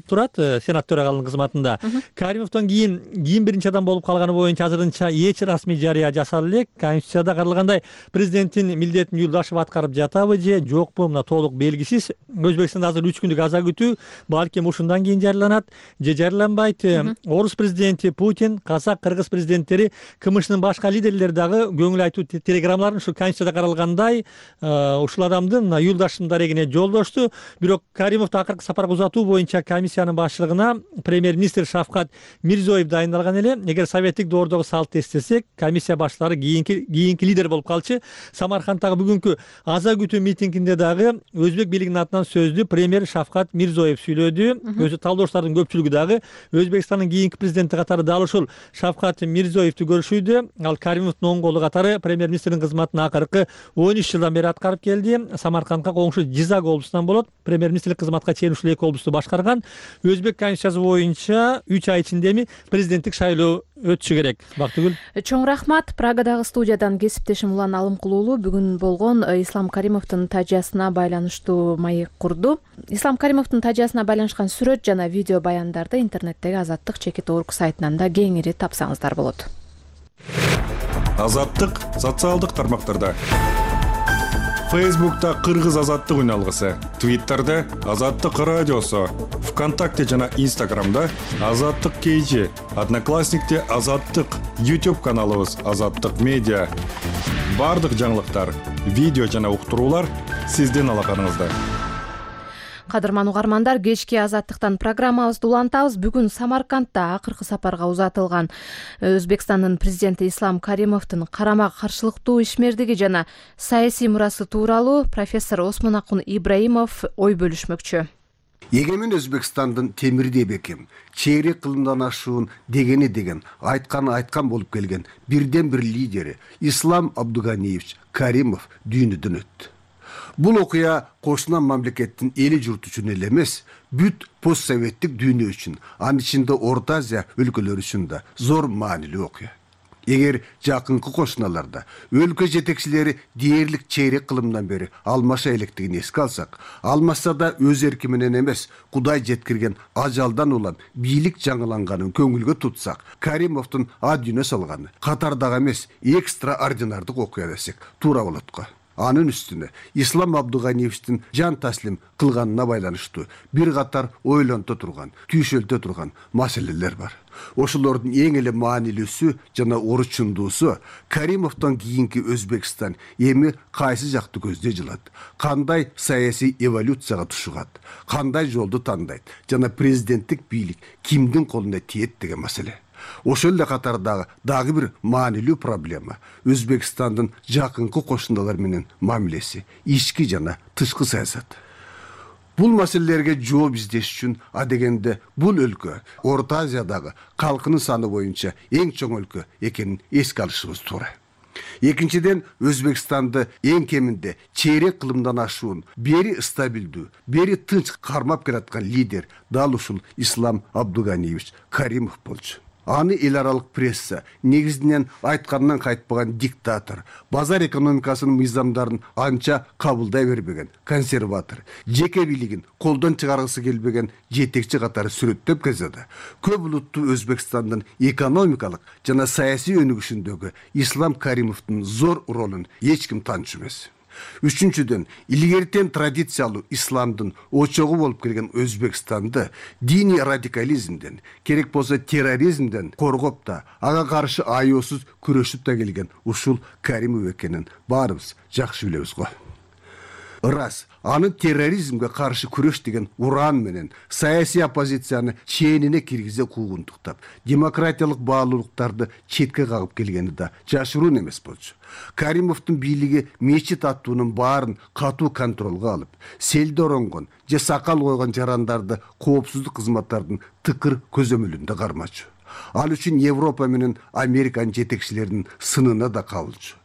турат сенат төрагалыгынын кызматында. Каримовдон кийин ким биринчи адам болуп калганы боюнча азырынча эч расмий жарыя жасала элек. Конституцияда каралгандай президенттин милдетин Юлдашев аткарып жатабы же жокпу, мына толук белгисиз. Өзбекстанда азыр 3 күндүк аза күтүү, балким ушундан кийин жарыяланат же жарыяланбайт. Орус президенти Путин, казак, кыргыз президенттери, КМШнын башка лидерлери дагы көңүл айтуу телеграммаларын ушу конституцияда каралгандай ушул адамдын мына Юлдашевдин дарегине жолдошту. Бирок Каримовду акыркы сапарга узатуу боюнча комиссиянын башчылыгына премьер-министр Шавкат Мирзиёев дайындалган эле. Эгер советтик доордогу салтты эстесек, комиссия башчылары кийинки лидер болуп калчу. Самаркандтагы бүгүнкү аза күтүү митингинде дагы өзбек бийлигинин атынан сөздү премьер Шавкат Мирзиёев сүйлөдү. Өзү талдоочулардын көпчүлүгү дагы Өзбекстандын кийинки президенти катары дал ушул Шавкат Мирзиёевду көрүшүүдө. Ал Каримовдун оң колу катары премьер-министрдин кызматын акыркы 13 жылдан бери аткарып келди. Самаркандка коңшу Жизак облусунан болот. Премьер-министрлик кызматка чейин ушул эки облусту башкарган. Өзбек конституциясы боюнча 3 ай ичинде президенттик шайлоо өтүшү керек. Бактыгүл. Чоң рахмат. Прагадагы студиядан кесиптешим Улан Алымкулуулу бүгүн болгон Ислам Каримовдун тажыясына байланыштуу маек курду. Ислам Каримовдун тажыясына байланышкан сүрөт жана видео баяндарды интернеттеги Азаттык /org сайтынан да кеңири тапсаңыздар болот. Азаттык социалдык тармактарда. Фейсбукта Кыргыз азаттык үналгысы, Твиттерде Азаттык радиосу, ВКонтакте жана Инстаграмда Азаттык KG, Одноклассникте Азаттык, YouTube каналыбыз Азаттык медиа. Бардык жаңылыктар, видео жана уктуруулар сиздин алаканыңызда. Кадырман угармандар, кечки Азаттыктан программабызды улантабыз. Бүгүн Самаркандта акыркы сапарга узатылган Өзбекстандын президенти Ислам Каримовдун карама каршылыктуу ишмердиги жана саясий мурасы тууралуу профессор Осмонакун Ибраимов ой бөлүшмөкчү. Егемен Өзбекстандын темирдей бекем, чейрек кылымдан ашуун дегени деген, айткан болуп келген бирден бир лидери Ислам Абдуганиевич Каримов дүйнөдөн өттү. Бул окуя кошунан мамлекеттин эли журт үчүн эле эмес, бүт постсоветтик дүйнө үчүн, анын ичинде Орто Азия өлкөлөрү үчүн да зор маанилүү окуя. Эгер жакынкы кошуналарда өлкө жетекчилери дээрлик чейрек кылымдан бери алмаша электигин эске алсак, алмаса да өз эрки менен эмес, Кудай жеткирген ажалдан улам бийлик жаңыланганын көңүлгө тутсак, Каримовдун а дүйнө салганы катардагы эмес, экстраординардык окуя десек туура болот го. Анын үстүнө Ислам Абдуганиевичтин жан таслим кылганына байланыштуу бир катар ойлонто турган, түйшөлтө турган маселелер бар. Ошолордун эң эле маанилүүсү жана орчундуусу Каримовдон кийинки Өзбекстан эми кайсы жакты көздөй жылат, кандай саясий эволюцияга тушугат, кандай жолду тандайт жана президенттик бийлик кимдин колуна тиет деген маселе. Ошол эле катардагы дагы бир маанилүү проблема Өзбекстандын жакынкы кошуналар менен мамилеси, ички жана тышкы саясат. Бул маселелерге жооп издеш үчүн адегенде бул өлкө Орто Азиядагы калкынын саны боюнча эң чоң өлкө экенин эске алышыбыз туура. Экинчиден, Өзбекстанды эң кеминде чейрек кылымдан ашуун, бери стабилдүү, бери тынч кармап келаткан лидер дал ушул Ислам Абдуганиевич Каримов болчу. Аны эл аралык пресса негизинен айткандан кайтпаган диктатор, базар экономикасынын мыйзамдарын анча кабылдай бербеген консерватор, жеке бийлигин колдон чыгаргысы келбеген жетекчи катары сүрөттөп келсе көп улуттуу Өзбекстандын экономикалык жана саясий өнүгүшүндөгү Ислам Каримовдун зор ролун эч ким таанчу эмес. Үчүнчүдөн, илгертен традициялуу исламдын очогу болуп келген Өзбекстанды диний радикализмден, керек болсо терроризмден коргоп да, ага каршы аяосуз күрөшүп да келген ушул Каримов экенин баарыбыз жакшы билебиз го. Ырас, аны терроризмге каршы күрөш деген уран менен саясий оппозицияны чээнине киргизе куугунтуктап, демократиялык баалуулуктарды четке кагып келгени да жашыруун эмес болчу. Каримовдун бийлиги мечит аттуунун баарын катуу контролго алып, селде оронгон же сакал койгон жарандарды коопсуздук кызматтардын тыкыр көзөмөлүндө кармачу. Ал үчүн Европа менен Американын жетекчилеринин сынына да кабылчу.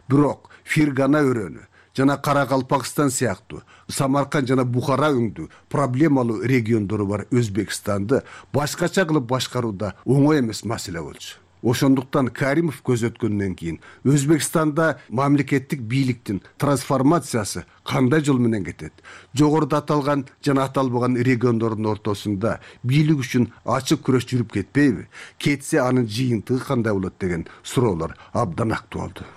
Бирок Фергана өрөөнү жана Каракалпакстан сыяктуу Самарканд жана Бухара өңдүү проблемалуу региондору бар Өзбекстанды башкача кылып башкарууда оңой эмес маселе болчу. Ошондуктан Каримов көзөткөндөн кийин Өзбекстанда мамлекеттик бийликтин трансформациясы кандай жол менен кетет? Жогоруда аталган жана аталбаган региондордун ортосунда бийлик үчүн ачык күрөш жүрүп кетпейби? Кетсе анын жыйынтыгы кандай болот деген суроолор абдан актуалдуу.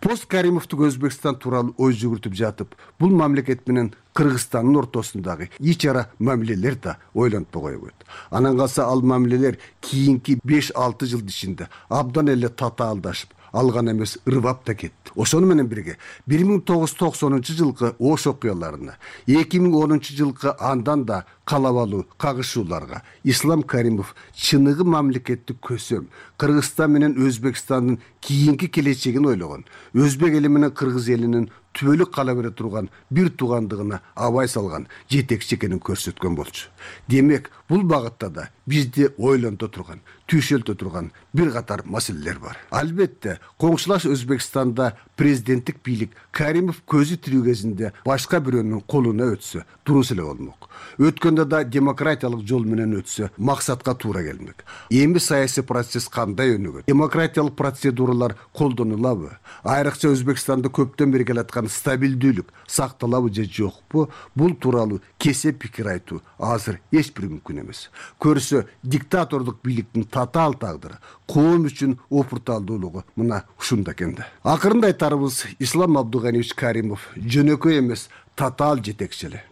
Пост Каримовдук Өзбекстан тууралуу ой жүгүртүп жатып, бул мамлекет менен Кыргызстандын ортосундагы ич ара мамилелер да ойлонтпой койбойт. Анан калса ал мамилелер кийинки 5-6 жыл ичинде абдан эле татаалдашып, алган эмес ырбап да кетти. Ошону менен бирге 1990-жылкы Ош окуяларына, 2010-жылкы андан да калабалуу кагышууларга Ислам Каримов чыныгы мамлекеттик көсөм, Кыргызстан менен Өзбекстандын кийинки келечегин ойлогон, өзбек эли менен кыргыз элинин түбөлүк кала бере турган бир туугандыгына абай салган жетекчи экенин көрсөткөн болчу. Демек, бул багытта да бизди ойлонто турган, түйшөлтө турган бир катар маселелер бар. Албетте, коңшулаш Өзбекстанда президенттик бийлик Каримов көзү тирүү кезинде башка бирөөнүн колуна өтсө, дурус эле болмок. Өткөндө да демократиялык жол менен өтсө, максатка туура келмек. Эми саясий процесс кандай өнүгөт? Демократиялык процедуралар колдонулабы? Айрыкча Өзбекстанда көптөн бери келаткан стабилдүүлүк сакталабы же жокпу? Бул тууралуу кесеп пикир айтуу азыр эч бир мүмкүн эмес. Көрсө, диктатордук бийликтин татаал тагдыры, коом үчүн опурталдуулугу мына ушунда экен да. Акырында айтарыбыз, Ислам Абдуганиевич Каримов жөнөкөй эмес татаал жетекчи эле.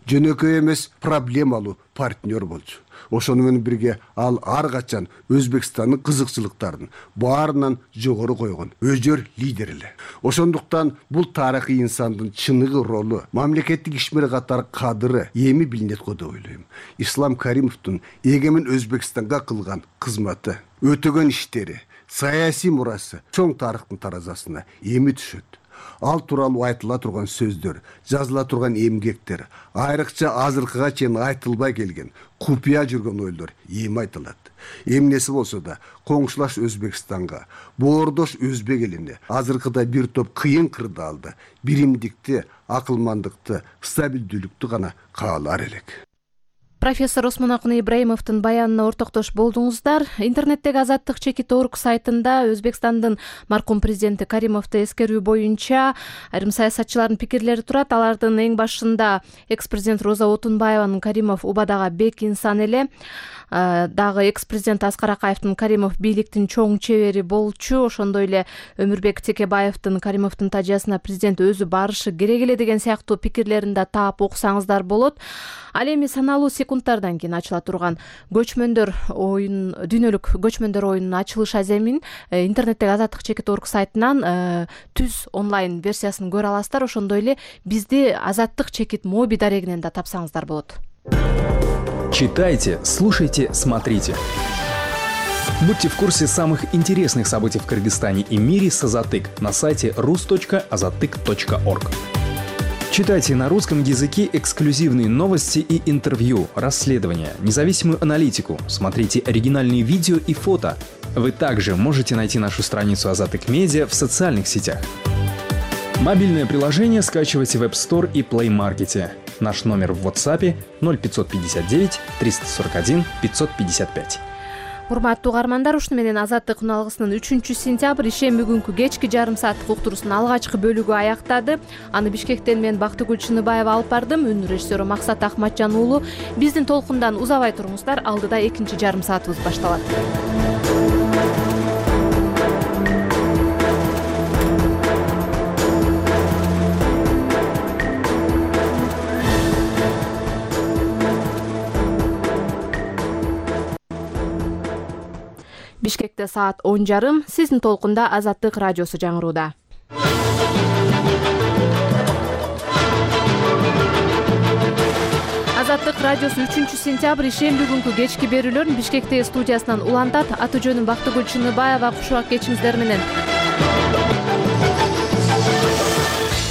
Жөнөкөй эмес проблемалуу партнер болчу. Ошону менен бирге ал ар качан Өзбекстандын кызыкчылыктарын баарынан жогору койгон өжөр лидер эле. Ошондуктан бул тарыхый инсандын чыныгы ролу, мамлекеттик ишмер катары кадыры эми билинет го деп ойлойм. Ислам Каримовдун эгемен Өзбекстанга кылган кызматы, өтөгөн иштери, саясий мурасы чоң тарыхтын таразасына эми түшөт. Ал тууралуу айтыла турган сөздөр, жазыла турган эмгектер, айрыкча азыркыга чейин айтылбай келген, купуя жүргөн ойлор эми айтылат. Эмнеси болсо да, коңшулаш Өзбекстанга, боордош өзбек элине азыркыда бир топ кыйын кырдаалды, биримдикти, акылмандыкты, стабилдүүлүктү гана каалар элек. Профессор Осмонакун Ибраимовдун баянына ортоктош болдуңуздар. Интернеттеги Азаттык.org сайтында Өзбекстандын маркум президенти Каримовду эскерүү боюнча айрым саясатчылардын пикирлери турат. Алардын эң башында экс-президент Роза Отунбаеванын Каримов убадага бек инсан эле, дагы экс-президент Аскар Акаевдин Каримов бийликтин чоң чебери болчу, ошондой эле Өмүрбек Текебаевдин Каримовдун тажыясына президент өзү барышы керек эле деген сыяктуу пикирлерин да таап окусаңыздар болот. Ал эми саналуу секундтардан кийин ачыла турган көчмөндөр оюн, дүйнөлүк көчмөндөр оюнунун ачылыш аземин интернеттеги Азаттык.org сайтынан түз онлайн версиясын көрө аласыздар. Ошондой эле бизди Азаттык чекит моби дарегинен да тапсаңыздар болот. Читайте, слушайте, смотрите. Будьте в курсе самых интересных событий в Кыргызстане и мире с Азаттык на сайте rus.azattyk.org. Читайте на русском языке эксклюзивные новости и интервью, расследования, независимую аналитику, смотрите оригинальные видео и фото. Вы также можете найти нашу страницу Азаттык Медиа в социальных сетях. Мобильное приложение скачивайте в App Store и Play Market. Наш номер в WhatsApp 0559 341 555. Урматтуу угармандар, ушуну менен Азаттык күн алгысынын 3-сентябрь ишемби күнкү кечки жарым сааттык уктуруусунун алгачкы бөлүгү аяктады. Аны Бишкектен мен Бактыгүл Чыныбаева алып бардым. Үн режиссеру Максат Ахматжан уулу. Биздин толкундан узабай туруңуздар. Алдыда экинчи жарым саатыбыз башталат. Бишкекте саат 10:30. Сиздин толкунда Азаттык радиосу жаңырууда. Азаттык радиосу 3-сентябрь ишемби күнкү кечки берүүлөрүн Бишкектеги студиясынан улантат. Аты жөнүм Бактыгүл Чыныбаева. Кушубак кечиңиздер менен.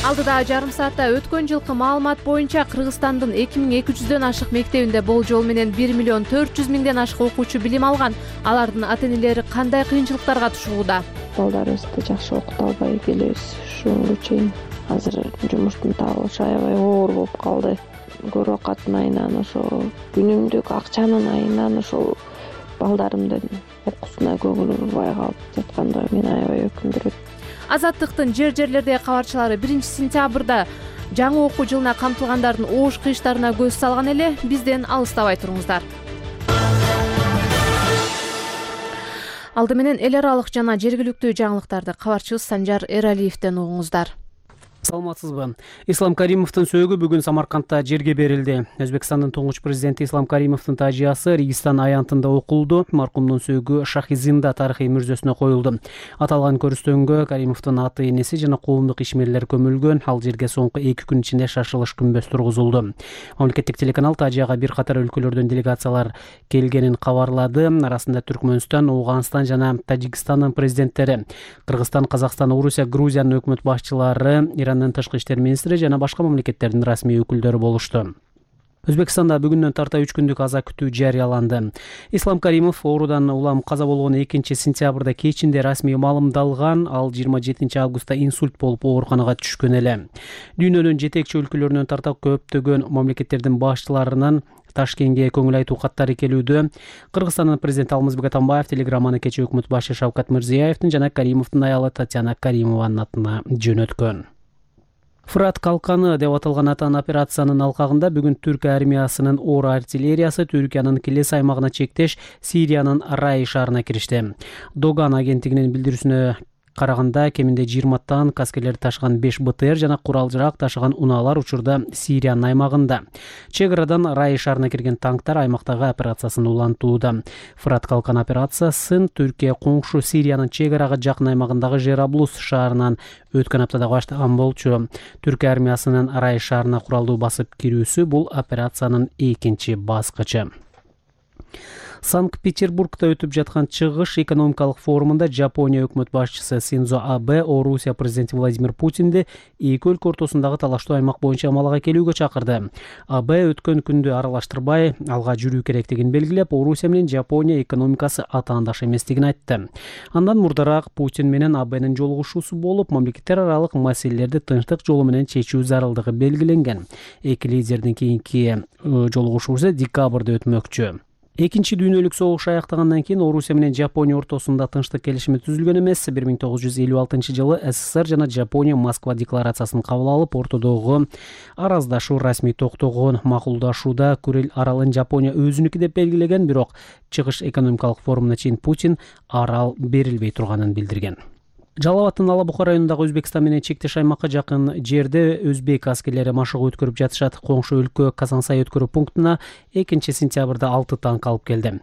Алдыда жарым саатта өткөн жылкы маалымат боюнча Кыргызстандын 2200дөн ашык мектебинде болжол менен 1.400.000ден ашык окуучу билим алган. Алардын ата-энелери кандай кыйынчылыктарга тушулууда? Балдарыбызды жакшы окута албай келебиз. Ушуга чейин азыр жумуштун табылышы аябай оор болуп калды. Көрөк аттын айынан ошо күнүмдүк акчанын айынан ошол балдарымдын окуусуна көңүл бурбай калып жатканда мени аябай өкүндүрөт. Азаттыктын жерлердеги кабарчылары 1-сентябрда жаңы окуу жылына камтылгандардын оош кыйыштарына көз салган эле. Бизден алыстабай туруңуздар. Алды менен эл аралык жана жергиликтүү жаңылыктарды кабарчыбыз Санжар Эралиевден угуңуздар. Саламатсызбы? Ислам Каримовдун сөөгү бүгүн Самаркандта жерге берилди. Өзбекстандын туңгуч президенти Ислам Каримовдун тажыясы Регистан аянтында окулду. Маркумдун сөөгү Шахизинда тарыхый мүрзөсүнө коюлду. Аталган көрүстөнгө Каримовдун аты, энеси жана коомдук ишмерлер көмүлгөн. Ал жерге соңку 2 күн ичинде шашылыш күмбөз тургузулду. Мамлекеттик телеканал тажыяга бир катар өлкөлөрдөн делегациялар келгенин кабарлады. Арасында Түркмөнстан, Ооганстан жана Тажикстандын президенттери, Кыргызстан, Казакстан, Орусия, Грузиянын өкмөт башчылары, тышкы иштер министри жана башка мамлекеттердин расмий өкүлдөрү болушту. Өзбекстанда бүгүндөн тарта 3 күндүк аза күтүү жарыяланды. Ислам Каримов оорудан улам каза болгон 2-сентябрда кечинде расмий маалымдалган. Ал 27 августта инсульт болуп ооруканага түшкөн эле. Дүйнөнүн жетекчи өлкөлөрүнөн тарта көптөгөн мамлекеттердин башчыларынын Ташкентке көңүл айтуу каттары келүүдө. Кыргызстандын президенти Алмазбек Атамбаев телеграмманы кечээ өкмөт башы Шавкат Мирзиёевдин жана Каримовдун аялы Татьяна Каримованын атына жөнөткөн. Фырат калканы деп аталган атан операциянын алкагында бүгүн Түрк армиясынын оор артиллериясы Түркиянын Килес аймагына чектеш Сириянын Рай шаарына киришти. Доган агенттигинин билдирүүсүнө караганда кеминде 20 танк, аскерлер ташыган 5 БТР жана курал-жарак ташыган унаалар учурда Сириянын аймагында. Чек арадан Рай шаарына кирген танктар аймактагы операциясын улантууда. Фырат калкан операциясын Түркия коңшу Сириянын чек арага жакын аймагындагы Жераблус шаарынан өткөн аптада баштаган болчу. Түрк армиясынын Рай шаарына куралдуу басып кирүүсү бул операциянын экинчи баскычы. Санкт-Петербургда өтүп жаткан чыгыш экономикалык форумунда Жапония өкмөт башчысы Синдзо Абе Орусия президенти Владимир Путинди эки өлкө ортосундагы талаштуу аймак боюнча амалга келүүгө чакырды. Абе өткөн күндү аралаштырбай алга жүрүү керектигин белгилеп, Орусия менен Жапония экономикасы атаандаш эместигин айтты. Андан мурдараак Путин менен Абенин жолугушуусу болуп, мамлекеттер аралык маселелерди тынчтык жолу менен чечүү зарылдыгы белгиленген. Эки лидердин кийинки жолугушуусу декабрда өтмөкчү. Экинчи дүйнөлүк согуш аяктагандан кийин Орусия менен Жапония ортосунда тынчтык келишими түзүлгөн эмес. 1956-жылы СССР жана Жапония Москва декларациясын кабыл алып, ортодогу араздашуу расмий токтогон. Макулдашууда Курил аралын Жапония өзүнүкү деп белгилеген, бирок чыгыш экономикалык форумуна чейин Путин арал берилбей турганын билдирген. Жалал Абадтын Ала Бука районундагы Өзбекстан менен чектеш аймакка жакын жерде өзбек аскерлери машыгуу өткөрүп жатышат. Коңшу өлкө Казансай өткөрүү пунктуна 2-сентябрда 6 танк алып келди.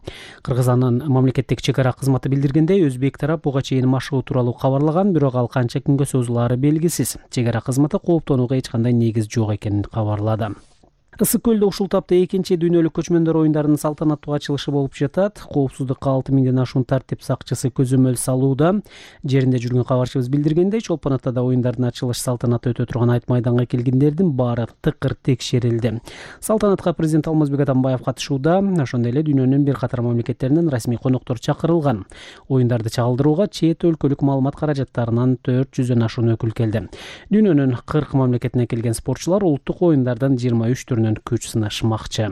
Кыргызстандын мамлекеттик чек ара кызматы билдиргендей, өзбек тарап буга чейин машыгуу тууралуу кабарлаган, бирок ал канча күнгө созулаары белгисиз. Чек ара кызматы кооптонууга эч кандай негиз жок экенин кабарлады. Ысык көлдө ушул тапта экинчи дүйнөлүк көчмөндөр оюндарынын салтанаттуу ачылышы болуп жатат. Коопсуздукка 6000ден ашуун тартип сакчысы көзөмөл салууда. Жеринде жүргөн кабарчыбыз билдиргендей, Чолпон Атада оюндардын ачылыш салтанаты өтө турган айт майданга келгендердин баары тыкыр текшерилди. Салтанатка президент Алмазбек Атамбаев катышууда, ошондой эле дүйнөнүн бир катар мамлекеттеринен расмий коноктор чакырылган. Оюндарды чагылдырууга чет өлкөлүк маалымат каражаттарынан 400дөн ашуун өкүл келди. Дүйнөнүн 40 мамлекетинен келген спортчулар улуттук оюндардын 23 түрүнөн күч сынашмакчы.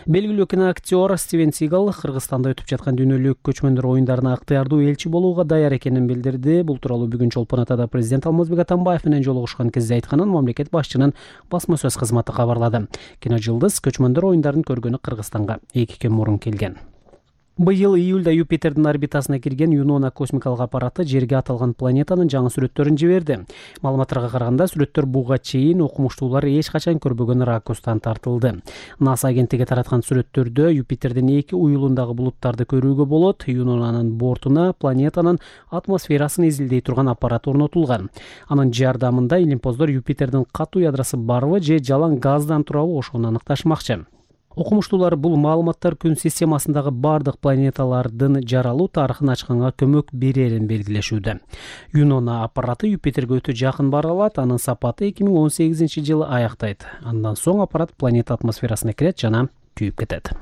Белгилүү киноактер Стивен Сигал Кыргызстанда өтүп жаткан дүйнөлүк көчмөндөр оюндарына ыктыярдуу элчи болууга даяр экенин билдирди. Бул тууралуу бүгүн Чолпон Атада президент Алмазбек Атамбаев менен жолугушкан кезде айтканын мамлекет башчынын басма сөз кызматы кабарлады. Киножылдыз көчмөндөр оюндарын көргөнү Кыргызстанга 2 күн мурун келген. Быйыл июлда Юпитердин орбитасына кирген Юнона космикалык аппараты Жерге аталган планетанын жаңы сүрөттөрүн жиберди. Маалыматтарга караганда сүрөттөр буга чейин окумуштуулар эч качан көрбөгөн ракурстан тартылды. НАСА агенттиги тараткан сүрөттөрдө Юпитердин 2 уюлундагы булуттарды көрүүгө болот. Юнонанын бортуна планетанын атмосферасын изилдей турган аппарат орнотулган. Анын жардамында илимпоздор Юпитердин катуу ядросу барбы же жалаң газдан турабы ошону аныкташмакчы. Окумуштуулар бул маалыматтар күн системасындагы бардык планеталардын жаралуу тарыхын ачканга көмөк берерин белгилешүүдө. Юнона аппараты Юпитерге өтө жакын бара алат, анын сапаты 2018-жылы аяктайт. Андан соң аппарат планета атмосферасына кирет жана күйүп кетет.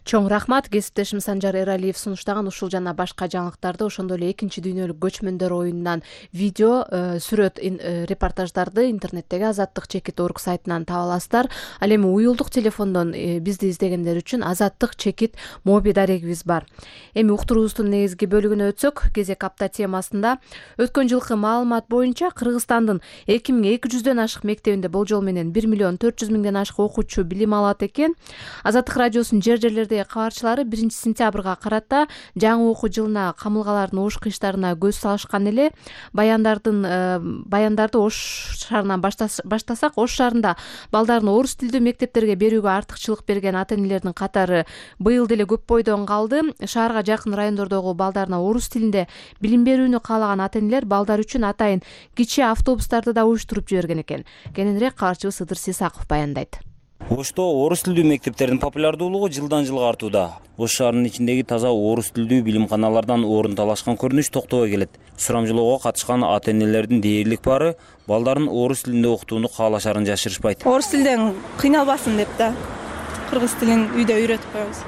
Чоң рахмат. Кесиптешим Санжар Эралиев сунуштаган ушул жана башка жаңылыктарды, ошондой эле 2-дүйнөлүк көчмөндөр оюнунан видео, сүрөт, репортаждарды интернеттеги azattik.org сайтынан таба аласыздар. Ал эми уюлдук телефондон бизди издегендер үчүн Azattik моби дарегибиз бар. Эми уктуруубуздун негизги бөлүгүнө өтсөк, кезек апта темасында өткөн жылкы маалымат боюнча Кыргызстандын 2200дөн ашык мектебинде болжол менен 1 400 000ден ашык окуучу билим алат экен. Азаттык радиосунун жер-жерлердеги кабарчылары 1 сентябрга карата жаңы окуу жылына камылгалардын ош кыйыштарына көз салышкан эле. Баяндарды Ош шаарынан баштасак, Ош шаарында балдарын орус тилдүү мектептерге берүүгө артыкчылык берген ата-энелердин катары быйыл деле көп бойдон калды. Шаарга жакын райондордогу балдарына орус тилинде билим берүүнү каалаган ата-энелер балдар үчүн атайын кичи автобустарды да уюштуруп жиберген экен. Кененирээк кабарчыбыз Ыдыр Сисаков баяндайт. Ошто орус тилдүү мектептердин популярдуулугу жылдан жылга артууда. Ош шаарынын ичиндеги таза орус тилдүү билимканалардан орун талашкан көрүнүш токтобой келет. Сурамжылоого катышкан ата-энелердин дээрлик баары балдарын орус тилинде окутууну каалашарын жашырышпайт. Орус тилден кыйналбасын деп да кыргыз тилин үйдө үйрөтүп коебуз.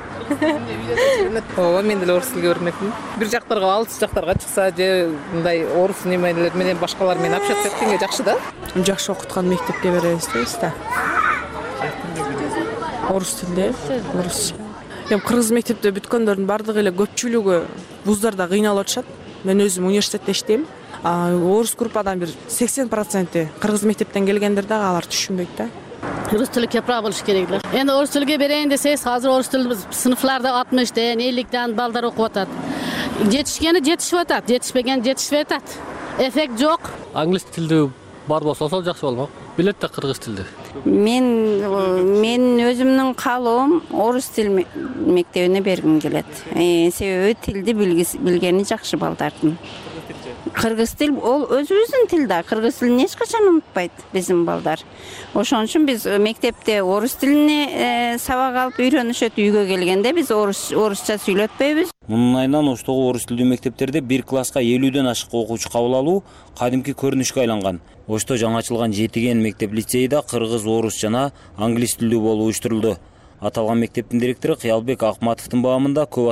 Ооба, мен деле орус тилге үйрөнмөкмүн. Бир жактарга, алыс жактарга чыкса же мындай орус немелер менен башкалар менен общаться эткенге жакшы да. Жакшы окуткан мектепке беребиз дейбиз да. Орус тилде, орусча. Эми кыргыз мектепте бүткөндөрдүн бардыгы эле көпчүлүгү вуздарда кыйналып атышат. Мен өзүм университетте иштейм. Орус группадан бир 80% кыргыз мектептен келгендер дагы алар түшүнбөйт да. Орус тили кепра болуш керек эле. Эми орус тилге берейин десеңиз, азыр орус тили сыныфларда 60тен, 50тен балдар окуп атат. Жетишкени жетишип атат, жетишпеген жетишпей атат. Эффект жок. Англис тилдүү бар болсо ошол жакшы болмок. Билет да кыргыз тилди. Мен өзүмдүн каалоом орус тил мектебине бергим келет. Себеби тилди билгени жакшы балдардын. Кыргыз тил ол өзүбүздүн тил да. Кыргыз тилин эч качан унутпайт биздин балдар. Ошон үчүн биз мектепте орус тилине сабак алып үйрөнүшөт, үйгө келгенде биз орусча сүйлөтпөйбүз. Мунун айынан Оштогу орус тилдүү мектептерде бир класска 50дөн ашык окуучу кабыл алуу кадимки көрүнүшкө айланган. Ошто жаңы ачылган Жетиген мектеп-лицейда кыргыз, орус жана англис тилдүү болуп уюштурулду. Аталган мектептин директору Кыялбек Акматовдун баамында көп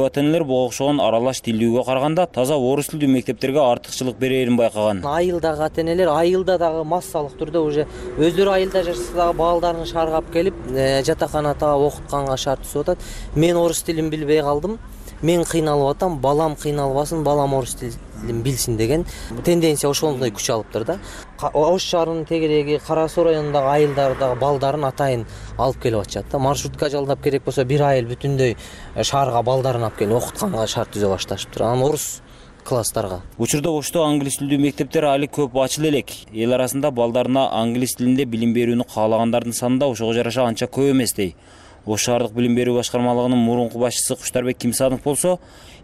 ата-энелер буга окшогон аралаш тилдүүгө караганда таза орус тилдүү мектептерге артыкчылык берерин байкаган. Айылдагы ата-энелер айылда дагы массалык түрдө уже өздөрү айылда жашаса дагы балдарын шаарга алып келип жатаканада окутканга шарт түзүп атат. Мен орус тилин билбей калдым. Мен кыйналып атам, балам кыйналбасын, балам орус тилин билсин деген тенденция ошондой күч алыптыр да. Ош шаарынын тегереги Кара Суу районундагы айылдардагы балдарын атайын алып келип атышат да. Маршрутка жалдап керек болсо бир айыл бүтүндөй шаарга балдарын алып келип окутканга шарт түзө башташыптыр. Анан орус класстарга. Учурда Ошто англис тилдүү мектептер али көп ачыла элек. Эл арасында балдарына англис тилинде билим берүүнү каалагандардын саны да ошого жараша анча көп эмес дей. Ош шаардык билим берүү башкармалыгынын мурунку башчысы Куштарбек Кимсанов болсо,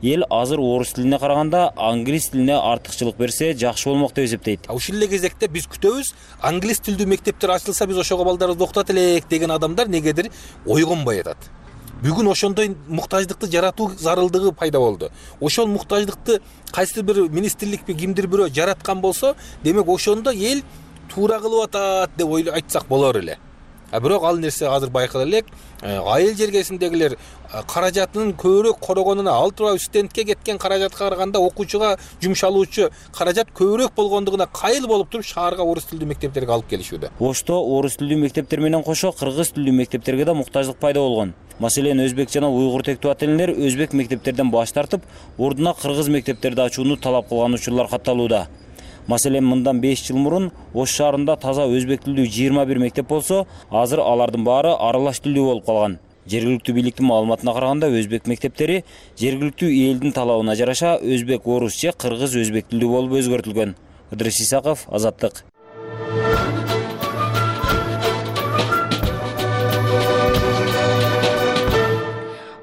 эл азыр орус тилине караганда англис тилине артыкчылык берсе жакшы болмок деп эсептейт. Ушул эле кезекте биз күтөбүз, англис тилдүү мектептер ачылса биз ошого балдарыбызды окутат элек деген адамдар негедир ойгонбой атат. Бүгүн ошондой муктаждыкты жаратуу зарылдыгы пайда болду. Ошол муктаждыкты кайсы бир министрликпи кимдир бирөө жараткан болсо, демек ошондо эл туура кылып атат деп айтсак болор эле. Бирок ал нерсе азыр байкала элек, айыл жергесиндегилер каражатынын көбүрөөк корогонуна, ал тууралуу стендке кеткен каражатка караганда окуучуга жумшалуучу каражат көбүрөөк болгондугуна кайыл болуп туруп шаарга орус тилдүү мектептерге алып келишүүдө. Ошто орус тилдүү мектептер менен кошо кыргыз тилдүү мектептерге да муктаждык пайда болгон. Маселен, өзбек жана уйгур тектүү ата-энелер өзбек мектептерден баш тартып, ордуна кыргыз мектептерди ачууну талап кылган учурлар катталууда. Маселен, мындан 5 жыл мурун Ош шаарында таза өзбек тилдүү 21 мектеп болсо, азыр алардын баары аралаш тилдүү болуп калган. Жергиликтүү бийликтин маалыматына караганда, өзбек мектептери жергиликтүү элдин талабына жараша өзбек орус же кыргыз өзбек тилдүү болуп өзгөртүлгөн. Ыдрис Исаков, Азаттык.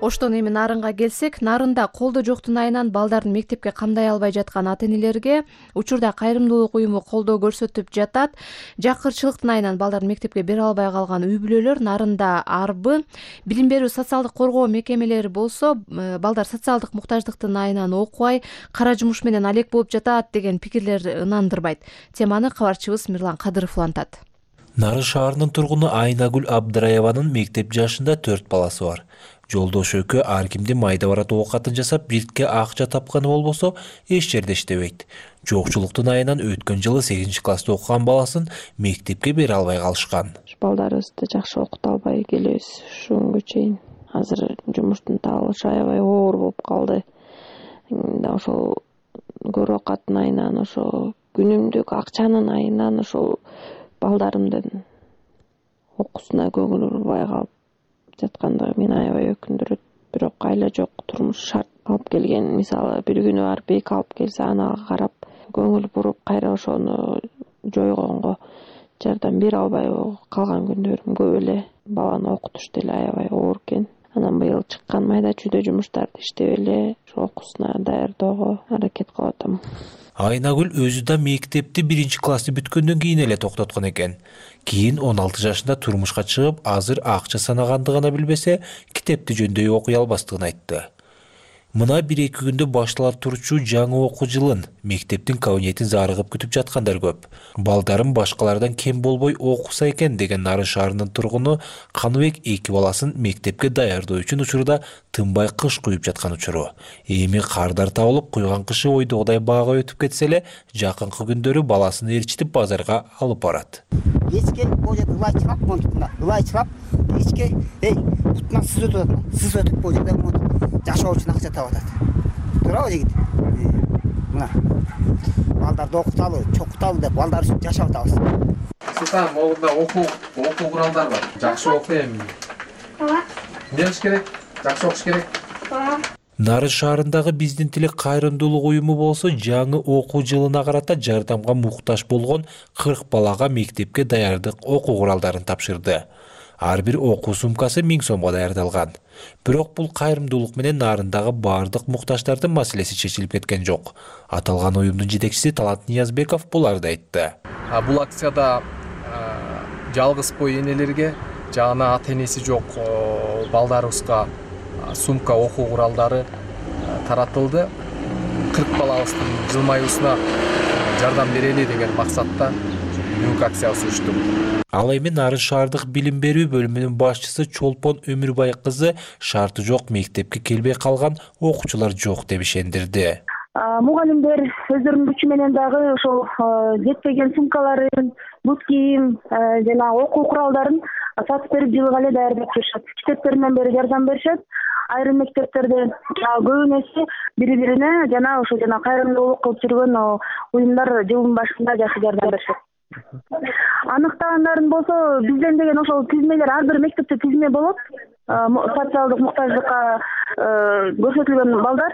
Оштон эми Нарынга келсек, Нарында колдо жоктун айынан балдарын мектепке камдай албай жаткан ата-энелерге учурда кайрымдуулук уюму колдоо көрсөтүп жатат. Жакырчылыктын айынан балдарын мектепке бере албай калган үй бүлөлөр Нарында арбы, билим берүү социалдык коргоо мекемелери болсо, балдар социалдык муктаждыктын айынан окубай, кара жумуш менен алек болуп жатат деген пикирлер ынандырбайт. Теманы кабарчыбыз Мирлан Кадыров улантат. Нарын шаарынын тургуну Айнагүл Абдыраеванын мектеп жашында 4 баласы бар. Жолдош экөө ар кимди майда барат оокатын жасап, биртке акча тапканы болбосо, эч жерде иштебейт. Жокчулуктун айынан өткөн жылы 8 класста окуган баласын мектепке бере албай калышкан. Балдарыбызды жакшы окута албай келебиз ушунгө чейин. Азыр жумуштун табылышы аябай оор болуп калды. Ошол көрө окаттын айынан, ошо күнүмдүк акчанын айынан ошол балдарымдын окуусуна көңүл бурбай калып жаткандыгы мени аябай өкүндүрөт. Бирок айла жок, турмуш шарт алып келген. Мисалы, бир күнү барып эки алып келсе, анага карап көңүл буруп, кайра ошону жойгонго жардам бере албай калган күндөрүм көп эле. Баланы окутуш деле аябай оор экен. Анан быйыл чыккан майда чүйдө жумуштарды иштеп эле окуусуна даярдоого аракет кылып атам. Айнагүл өзү да мектепти 1 классты бүткөндөн кийин эле токтоткон экен. Кийин 16 жашында турмушка чыгып, азыр акча санагандыгына билбесе, китепти жөндөй окуй албастыгын айтты. Мына 1-2 күндө башталар турчу жаңы окуу жылын мектептин кабинетин зарыгып күтүп жаткандар көп. Балдарым башкалардан кем болбой окуса экен деген Нарын шаарынын тургуну Каныбек 2 баласын мектепке даярдоо үчүн учурда тынбай кыш куюп жаткан учуру. Эми кардар табылып, куйган кышы ойдогудай баага өтүп кетсе эле, жакынкы күндөрү баласын ээрчитип базарга алып барат. Эчке бул жерде ылай чыгап, монтукна ылай чыгап, эчке бутуна сыз өтүп бул жерде жашоо үчүн акча таап атат. Туурабы жигит? Мына балдарды окуталы, чокуталы деп балдар үчүн жашап атабыз. Султан, могунда окуу куралдар бар. Жакшы окуу эми. Эмне кылыш керек? Жакшы окуш керек. Нарын шаарындагы биздин тилек кайрымдуулук уюму болсо, жаңы окуу жылына карата жардамга муктаж болгон 40 балага мектепке даярдык окуу куралдарын тапшырды. Ар бир окуу сумкасы 1000 сомго даярдалган. Бирок бул кайрымдуулук менен Нарындагы бардык муктаждардын маселеси чечилип кеткен жок. Аталган уюмдун жетекчиси Талант Ниязбеков буларды айтты. Бул акцияда жалгыз бой энелерге жана ата-энеси жок балдарыбызга сумка окуу куралдары таратылды. 40 балабыздын жылмаюусуна жардам берели деген максатта бүгүнкү акция уюштук. Ал эми Нарын шаардык билим берүү бөлүмүнүн башчысы Чолпон Өмүрбай кызы шарты жок мектепке келбей калган окуучулар жок деп ишендирди. Мугалимдер өздөрүнүн күчү менен дагы ошол жетпеген сумкаларын, бут кийим жана окуу куралдарын сатып берип жылга эле даярдап турушат. Китептеринен бери жардам беришет. Айрым мектептерде көбүнөсү бири-бирине жана ошо кайрымдуулук кылып жүргөн уюмдар жылдын башында жакшы жардам беришет. Аныктагандарын болсо, бизден деген ошол тизмелер ар бир мектепте тизме болот. Социалдык муктаждыкка көрсөтүлгөн балдар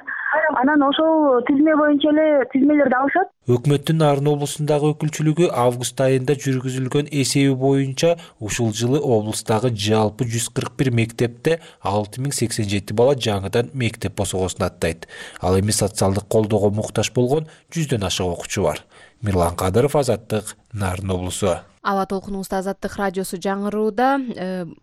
анан ошол тизме боюнча эле тизмелерди алышат. Өкмөттүн Нарын облусундагы өкүлчүлүгү август айында жүргүзүлгөн эсеби боюнча ушул жылы облустагы жалпы 141 мектепте 6087 бала жаңыдан мектеп босогосун аттайт. Ал эми социалдык колдоого муктаж болгон 100дөн ашык окуучу бар. Мирлан Кадыров, Азаттык, Нарын облусу. Аба толкунубузда Азаттык радиосу жаңырууда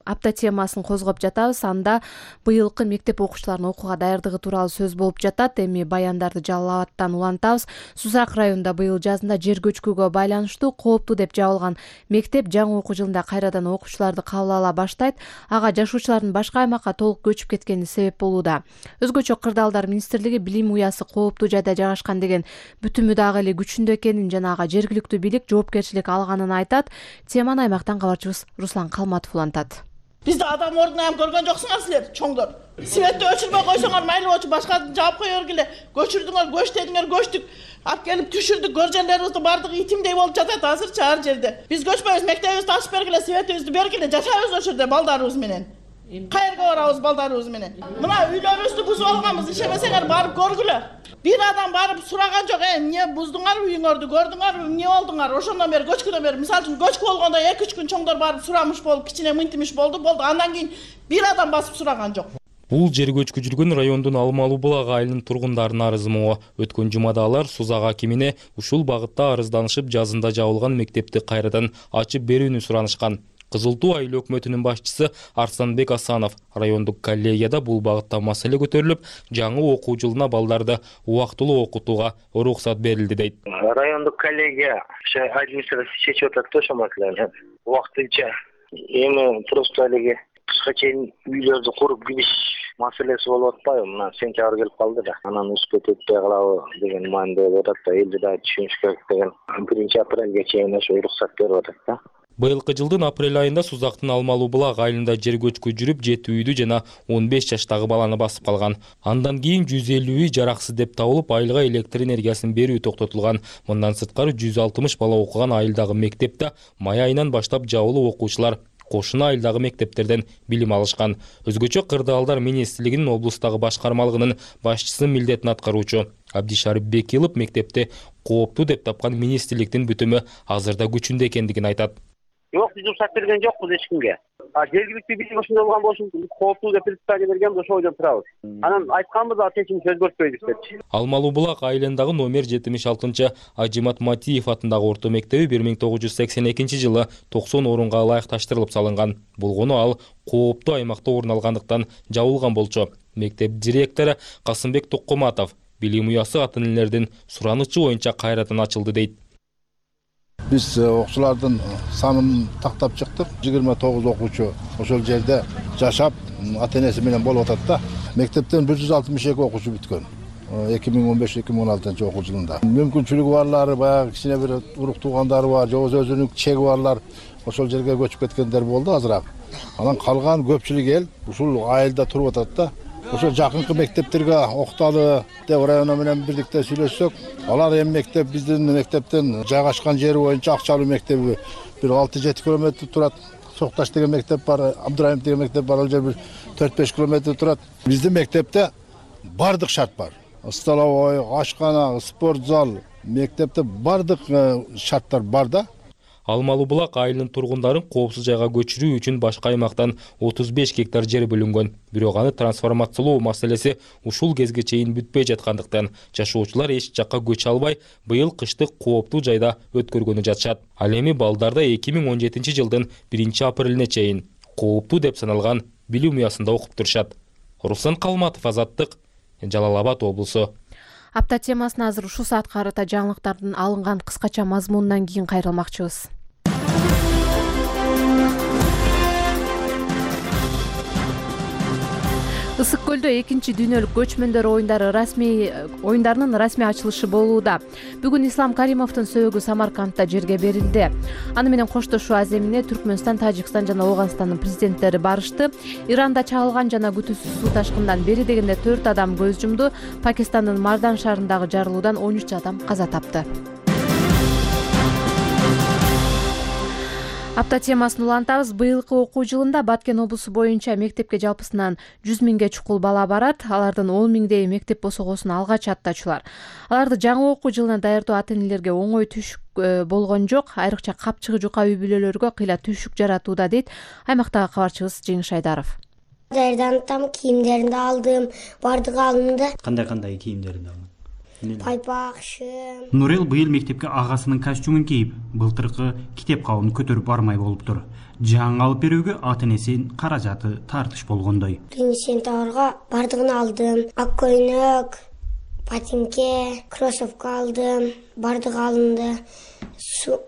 апта темасын козгоп жатабыз. Анда быйылкы мектеп окуучуларынын окууга даярдыгы тууралуу сөз болуп жатат. Эми баяндарды Жалал Абадтан улантабыз. Сузак районунда быйыл жазында жер көчкүгө байланыштуу кооптуу деп жабылган мектеп жаңы окуу жылында кайрадан окуучуларды кабыл ала баштайт. Ага жашоочулардын башка аймакка толук көчүп кеткени себеп болууда. Өзгөчө Кырдаалдар министрлиги билим уясы кооптуу жайда жайгашкан деген бүтүмү дагы эле күчүндө экенин жана ага жергиликтүү бийлик жоопкерчилик алганын айтат. Теманы аймактан кабарчыбыз Руслан Калматов улантат. Бизди адам ордуна көргөн жоксуңар силер, чоңдор. Светти өчүрбөй койсоңор майлы болчу, башка жаап кое бергиле. Көчүрдүңөр, көчтөдүңөр, көчтүк. Алып келип түшүрдүк, көржөндөрүбүздүн бардыгы итимдей болуп жатат азырчы ар жерде. Биз көчпөйбүз, мектебибизди ачып бергиле, светибизди бергиле, жашайбыз ошол жерде балдарыбыз менен. Кайерге барабыз балдарыбыз менен? Мына үйлөрүбүздү бузуп алганбыз, ишемесеңер барып көргүлө. Бир адам барып сураган жок, эмне буздуңарбы үйүңөрдү, көрдүңөрбү, эмне болдуңар? Ошондон бери көчкүдөн бери, мисалы үчүн көчкү болгондо 2-3 күн чоңдор барып сурамыш болуп, кичине мынтимиш болду. Андан кийин бир адам басып сураган жок. Бул жер көчкү жүргөн райондун Алмалуу булак айылынын тургундарынын арызы могу. Өткөн жумада алар Сузак акимине ушул багытта арызданышып, жазында жабылган мектепти кайрадан ачып берүүнү суранышкан. Кызыл Туу айыл өкмөтүнүн башчысы Арсанбек Асанов райондук коллегияда бул багытта маселе көтөрүлүп, жаңы окуу жылына балдарды убактылуу окутууга уруксат берилди дейт. Райондук коллегия администрация чечип атат ошол маселени. Убактынча эми просто эле кышка чейин үйлөрдү куруп кириш маселеси болуп атпайбы? Мына сентябрь келип калды да. Анан успеть этпей калабы деген маанидө болуп атат да. Элди да түшүнүш керек деген 1-апрелге чейин ошо уруксат берип атат да. Быйылкы жылдын апрель айында Сузактын Алмалуу булак айылында жер көчкү жүрүп, 7 үйдү жана 15 жаштагы баланы басып калган. Андан кийин 150 үй жараксыз деп табылып, айылга электр энергиясын берүү токтотулган. Мындан сырткары 160 бала окуган айылдагы мектепте май айынан баштап жабылуу окуучулар кошуна айылдагы мектептерден билим алышкан. Өзгөчө Кырдаалдар министрлигинин облустагы башкармалыгынын башчысынын милдетин аткаруучу Абдишарип Бекилов мектепти кооптуу деп тапкан министрликтин бүтүмү азырда күчүндө экендигин айтат. Жок, биз уруксат берген жокпуз эч кимге. Жергиликтүү бийлик ошондой болгон болсун, кооптуу деп предписание бергенбиз, ошол ойдон турабыз. Анан айтканбыз, чечимди өзгөртпөйбүз депчи. Алмалуу булак айылындагы номер 76 Ажимат Матиев атындагы орто мектеби 1982 жылы 90 орунга ылайыкташтырылып салынган. Болгону ал кооптуу аймакта орун алгандыктан жабылган болчу. Мектеп директору Касымбек Токкоматов билим уясы ата энелердин суранычы боюнча кайрадан ачылды дейт. Биз окуучулардын санын тактап чыктык. 29 окуучу ошол жерде жашап, ата энеси менен болуп атат да. Мектептен 162 окуучу бүткөн. 2015-2016 окуу жылында. Мүмкүнчүлүгү барлары, баягы кичине бир уруктуугандары бар, же өзүнүн чеги барлар ошол жерге көчүп кеткендер болду азыраак. Анан калган көпчүлүк эл ушул айылда туруп атат да. Ошо жакынкы мектептерге окталы деп районо менен бирликте сүйлөшсөк, алар эми мектеп биздин мектептен жайгашкан жери боюнча Акчалуу мектеби бир 6-7 километр турат. Сокташ деген мектеп бар, Абдурайымов деген мектеп бар, ал жер бир 4-5 километр турат. Биздин мектепте бардык шарт бар. Столовой, ашкана, спорт зал, мектепте бардык шарттар бар да. Алмалуу булак айылынын тургундарын коопсуз жайга көчүрүү үчүн башка аймактан 35 гектар жер бөлүнгөн. Бирок аны трансформациялоо маселеси ушул кезге чейин бүтпөй жаткандыктан жашоочулар эч жакка көчө албай, быйыл кышты кооптуу жайда өткөргөнү жатышат. Ал эми балдарда 2017 жылдын 1-апрелине чейин кооптуу деп саналган билим уясында окуп турушат. Руслан Калматов, Азаттык, Жалал Абад облусу. Апта темасына азыр ушул саатка карата жаңылыктардын алынган кыскача мазмунунан кийин кайрылмакчыбыз. Ысык көлдө 2-чи дүйнөлүк көчмөндөр оюндарынын расмий ачылышы болууда. Бүгүн Ислам Каримовдун сөөгү Самаркандта жерге берилди. Аны менен коштошуу аземине Түркмөнстан, Тажикстан жана Ооганстандын президенттери барышты. Иранда чагылган жана күтүүсүз суу ташкындан бери дегенде 4 адам көз жумду. Пакистандын Мардан шаарындагы жарылуудан 13 адам каза тапты. Апта темасын улантабыз. Быйылкы окуу жылында Баткен облусу боюнча мектепке жалпысынан 100 миңге чукул бала барат. Алардын 10 миңдей мектеп босогосун алгач аттачулар. Аларды жаңы окуу жылына даярдоо ата энелерге оңой түшүк болгон жок. Айрыкча капчыгы жука үй бүлөлөргө кыйла түшүк жаратууда дейт аймактагы кабарчыбыз Жеңиш Айдаров. Даярдантам, кийимдеримди алдым, бардыгы алынды. Кандай кийимдерди алдың? байпакшым. Нурел быйыл мектепке агасынын костюмун кийип, былтыркы китеп кабын көтөрүп бармай болуптур. Жаңы алып берүүгө ата энесинин каражаты тартыш болгондой. 1-сентябрга бардыгын алдым. Ак көйнөк, ботинке, кроссовка алдым. Бардыгы алынды.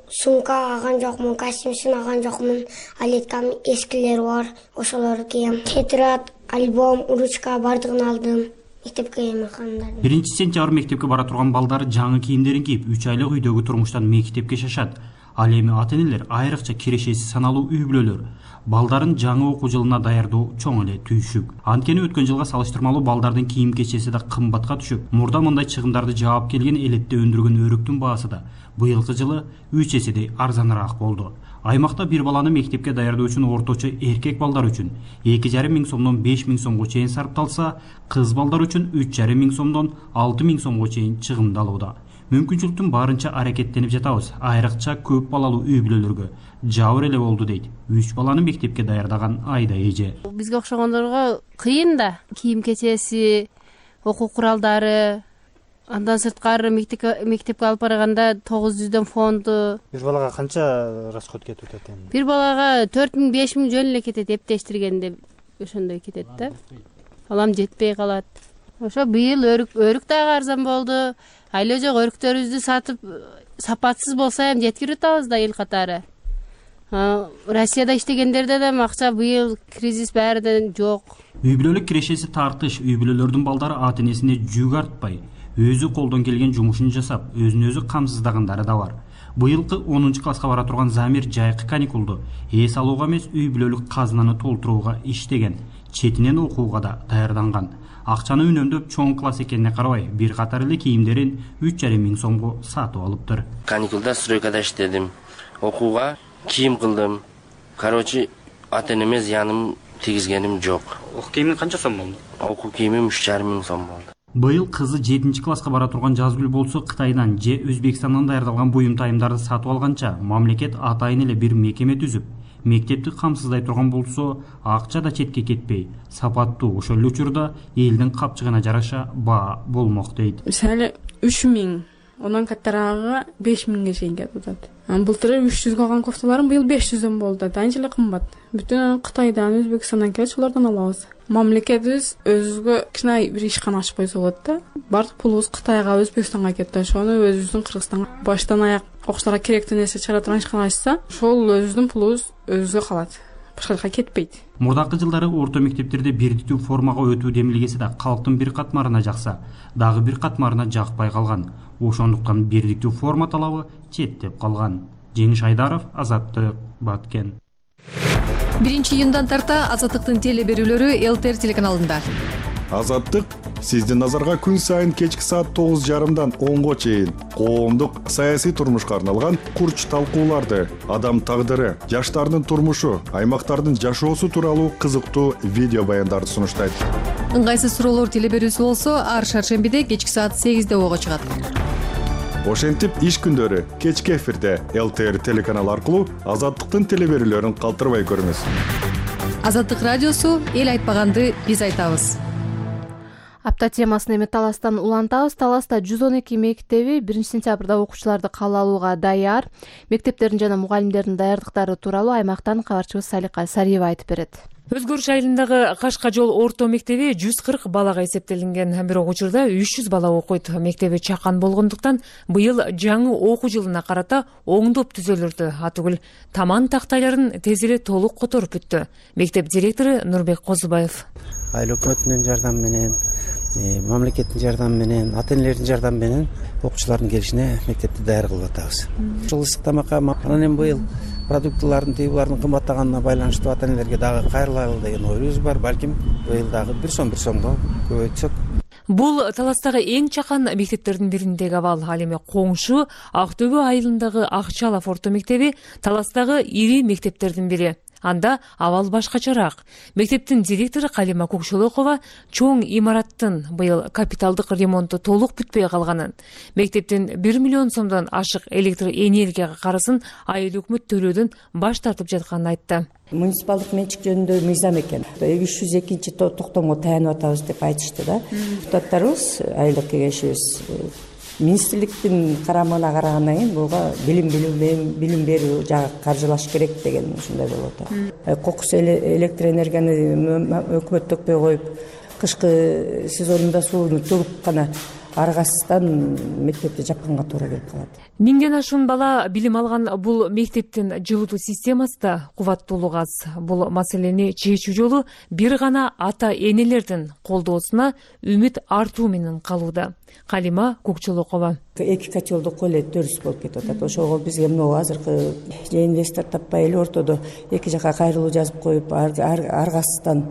Сумка алган жокмун, костюм алган жокмун. Алеткам эскилер бар, ошолорду кийем. Тетрадь, альбом, ручка бардыгын алдым. Мектепке эмакандар. 1-сентябрь мектепке бара турган балдар жаңы кийимдерин кийип, 3 айлык үйдөгү турмуштан мектепке шашат. Ал эми ата энелер айрыкча кирешеси саналуу үй бүлөлөр балдарын жаңы окуу жылына даярдоо чоң эле түйшүк. Анткени өткөн жылга салыштырмалуу балдардын кийим кечеси да кымбатка түшүп, мурда мындай чыгымдарды жаап келген элетте өндүргөн өрүктүн баасы да быйылкы жылы 3 эседей арзаныраак болду. Аймакта бир баланы мектепке даярдоо үчүн орточо эркек балдар үчүн 2,5 миң сомдон 5 миң сомго чейин сарпталса, кыз балдар үчүн 3,5 миң сомдон 6 миң сомго чейин чыгымдалууда. Мүмкүнчүлүктүн барынча аракеттенип жатабыз. Айрыкча көп балалуу үй бүлөлөргө жабыр эле болду дейт 3 баланы мектепке даярдаган Айда эже. Бизге окшогондорго кыйын да. Кийим кечеси, окуу куралдары, андан сырткары мектепке алып барганда 900дөн фонду. Бир балага канча расход кетип атат эми? Бир балага 4 миң 5 миң жөн эле кетет, эптештиргенде ошондой кетет да. Алам жетпей калат. Ошо быйыл өрүк дагы арзан болду. Айла жок өрүктөрүбүздү сатып сапатсыз болсо эми жеткирип атабыз да эл катары. Россияда иштегендерде да акча быйыл кризис баарында жок. Үй бүлөлүк кирешеси тартыш, үй бүлөлөрдүн балдары ата энесине жүк артпай, өзү колдон келген жумушун жасап, өзүн өзү камсыздагандары да бар. Быйылкы 10-класска бара турган Замир жайкы каникулду эс алууга эмес, үй бүлөлүк казынаны толтурууга иштеген, четинен окууга да даярданган. Акчаны үнөмдөп чоң класс экенине карабай, бир катар эле кийимдерин 3,5 миң сомго сатып алыптыр. Каникулда стройкада иштедим. Окууга кийим кылдым. Короче, ата энеме зыяным тийгизгеним жок. Окуу кийимин канча сом болду? Окуу кийимим 3,5 миң сом болду. Быйыл кызы 7-класска бара турган Жазгүл болсо Кытайдан же Өзбекстандан даярдалган буюм тайымдарды сатып алганча, мамлекет атайын эле бир мекеме түзүп, мектепти камсыздай турган болсо, акча да четке кетпей, сапаттуу ошол эле учурда элдин капчыгына жараша баа болмок дейт. Мисалы 3 миң, ондан каттарагы 5 миңге чейин кетип атат. Былтыр 300 алган кофталарым быйыл 500дөн болду. Анча эле кымбат. Бүтүн Кытайдан, Өзбекстандан келип, ошолордон алабыз. Мамлекетибиз өзүгө кичине бир ишкана ачып койсо болот да. Бардык пулубуз Кытайга, Өзбекстанга кетти. Ошону өзүбүздүн Кыргызстанга баштан аяк окуучуларга керектүү нерсе чыгара турган ишкана ачса, ошол өзүбүздүн пулубуз өзүбүзгө калат. Башка жака кетпейт. Мурдакы жылдары орто мектептерде бирдиктүү формага өтүү демилгеси да калктын бир катмарына жакса, дагы бир катмарына жакпай калган. Ошондуктан бирдиктүү форма талабы четтеп калган. Жеңиш Айдаров, Азаттык, Баткен. 1-июндан тарта Азаттыктын теле берүүлөрү ЛТР телеканалында. Азаттык сиздин назарга күн сайын кечки саат 9:30дан 10го чейин коомдук саясий турмушка арналган курч талкууларды, адам тагдыры, жаштардын турмушу, аймактардын жашоосу тууралуу кызыктуу видео баяндарды сунуштайт. Ыңгайсыз суроолор теле берүүсү болсо, ар шаршембиде кечки саат 8де ого чыгат. Ошентип иш күндөрү кечки эфирде ЛТР телеканалы аркылуу Азаттыктын теле берүүлөрүн калтырбай көрүңүз. Азаттык радиосу эл айтпаганды биз айтабыз. Апта темасын эми Таластан улантабыз. Таласта 112 мектеби 1-сентябрда окуучуларды кабыл алууга даяр. Мектептердин жана мугалимдердин даярдыктары тууралуу аймактан кабарчыбыз Салика Сариева айтып берет. Өзгөрүш айылындагы Кашка жол орто мектеби 140 балага эсептелинген, бирок учурда 300 бала окуйт. Мектеби чакан болгондуктан быйыл жаңы окуу жылына карата оңдоп түзөлүрдү. Атүгүл таман тактайларын тез эле толук которуп бүттү. Мектеп директору Нурбек Козубаев. Айыл өкмөтүнүн жардамы менен, мамлекеттин жардамы менен, ата энелердин жардамы менен окуучулардын келишине мектепти даяр кылып атабыз. Ушул ысык тамакка анан эми быйыл продуктлардын тыйбулардын кымбаттаганына байланыштуу ата энелерге дагы кайрылайлы деген оюбуз бар. Балким быйыл дагы 1 сомго көбөйтсөк. Бул Таластагы эң чакан мектептердин бириндеги абал. Ал эми коңшу Актөбө айылындагы Акчалов орто мектеби Таластагы ири мектептердин бири. Анда абал башкачараак. Мектептин директору Калима Көкшөлөкова чоң имараттын быйыл капиталдык ремонту толук бүтпөй калганын, мектептин 1 миллион сомдон ашык электр энергияга карызын айыл өкмөт төлөөдөн баш тартып жатканын айтты. Муниципалдык менчик жөнүндө мыйзам экен. 302 токтомго таянып атабыз деп айтышты да. Депутаттарыбыз, айылдык кеңешибиз министрликтин карамагына карагандан кийин буга билим берүү жагы каржылаш керек деген ушундай болуп атат. Кокус электр энергияны өкмөт төкпөй коюп, кышкы сезонунда сууну төгүп гана аргасыздан мектепти жапканга туура келип калат. 1000ден ашуун бала билим алган бул мектептин жылытуу системасы да кубаттуулугу аз. Бул маселени чечүү жолу бир гана ата энелердин колдоосуна үмүт артуу менен калууда. Калима Көкчөлөкова. 2 котелдук эле дөрүс болуп кетип атат. Ошого бизге мына азыркы инвестор таппай эле ортодо 2 жака кайрылуу жазып коюп, аргасыздан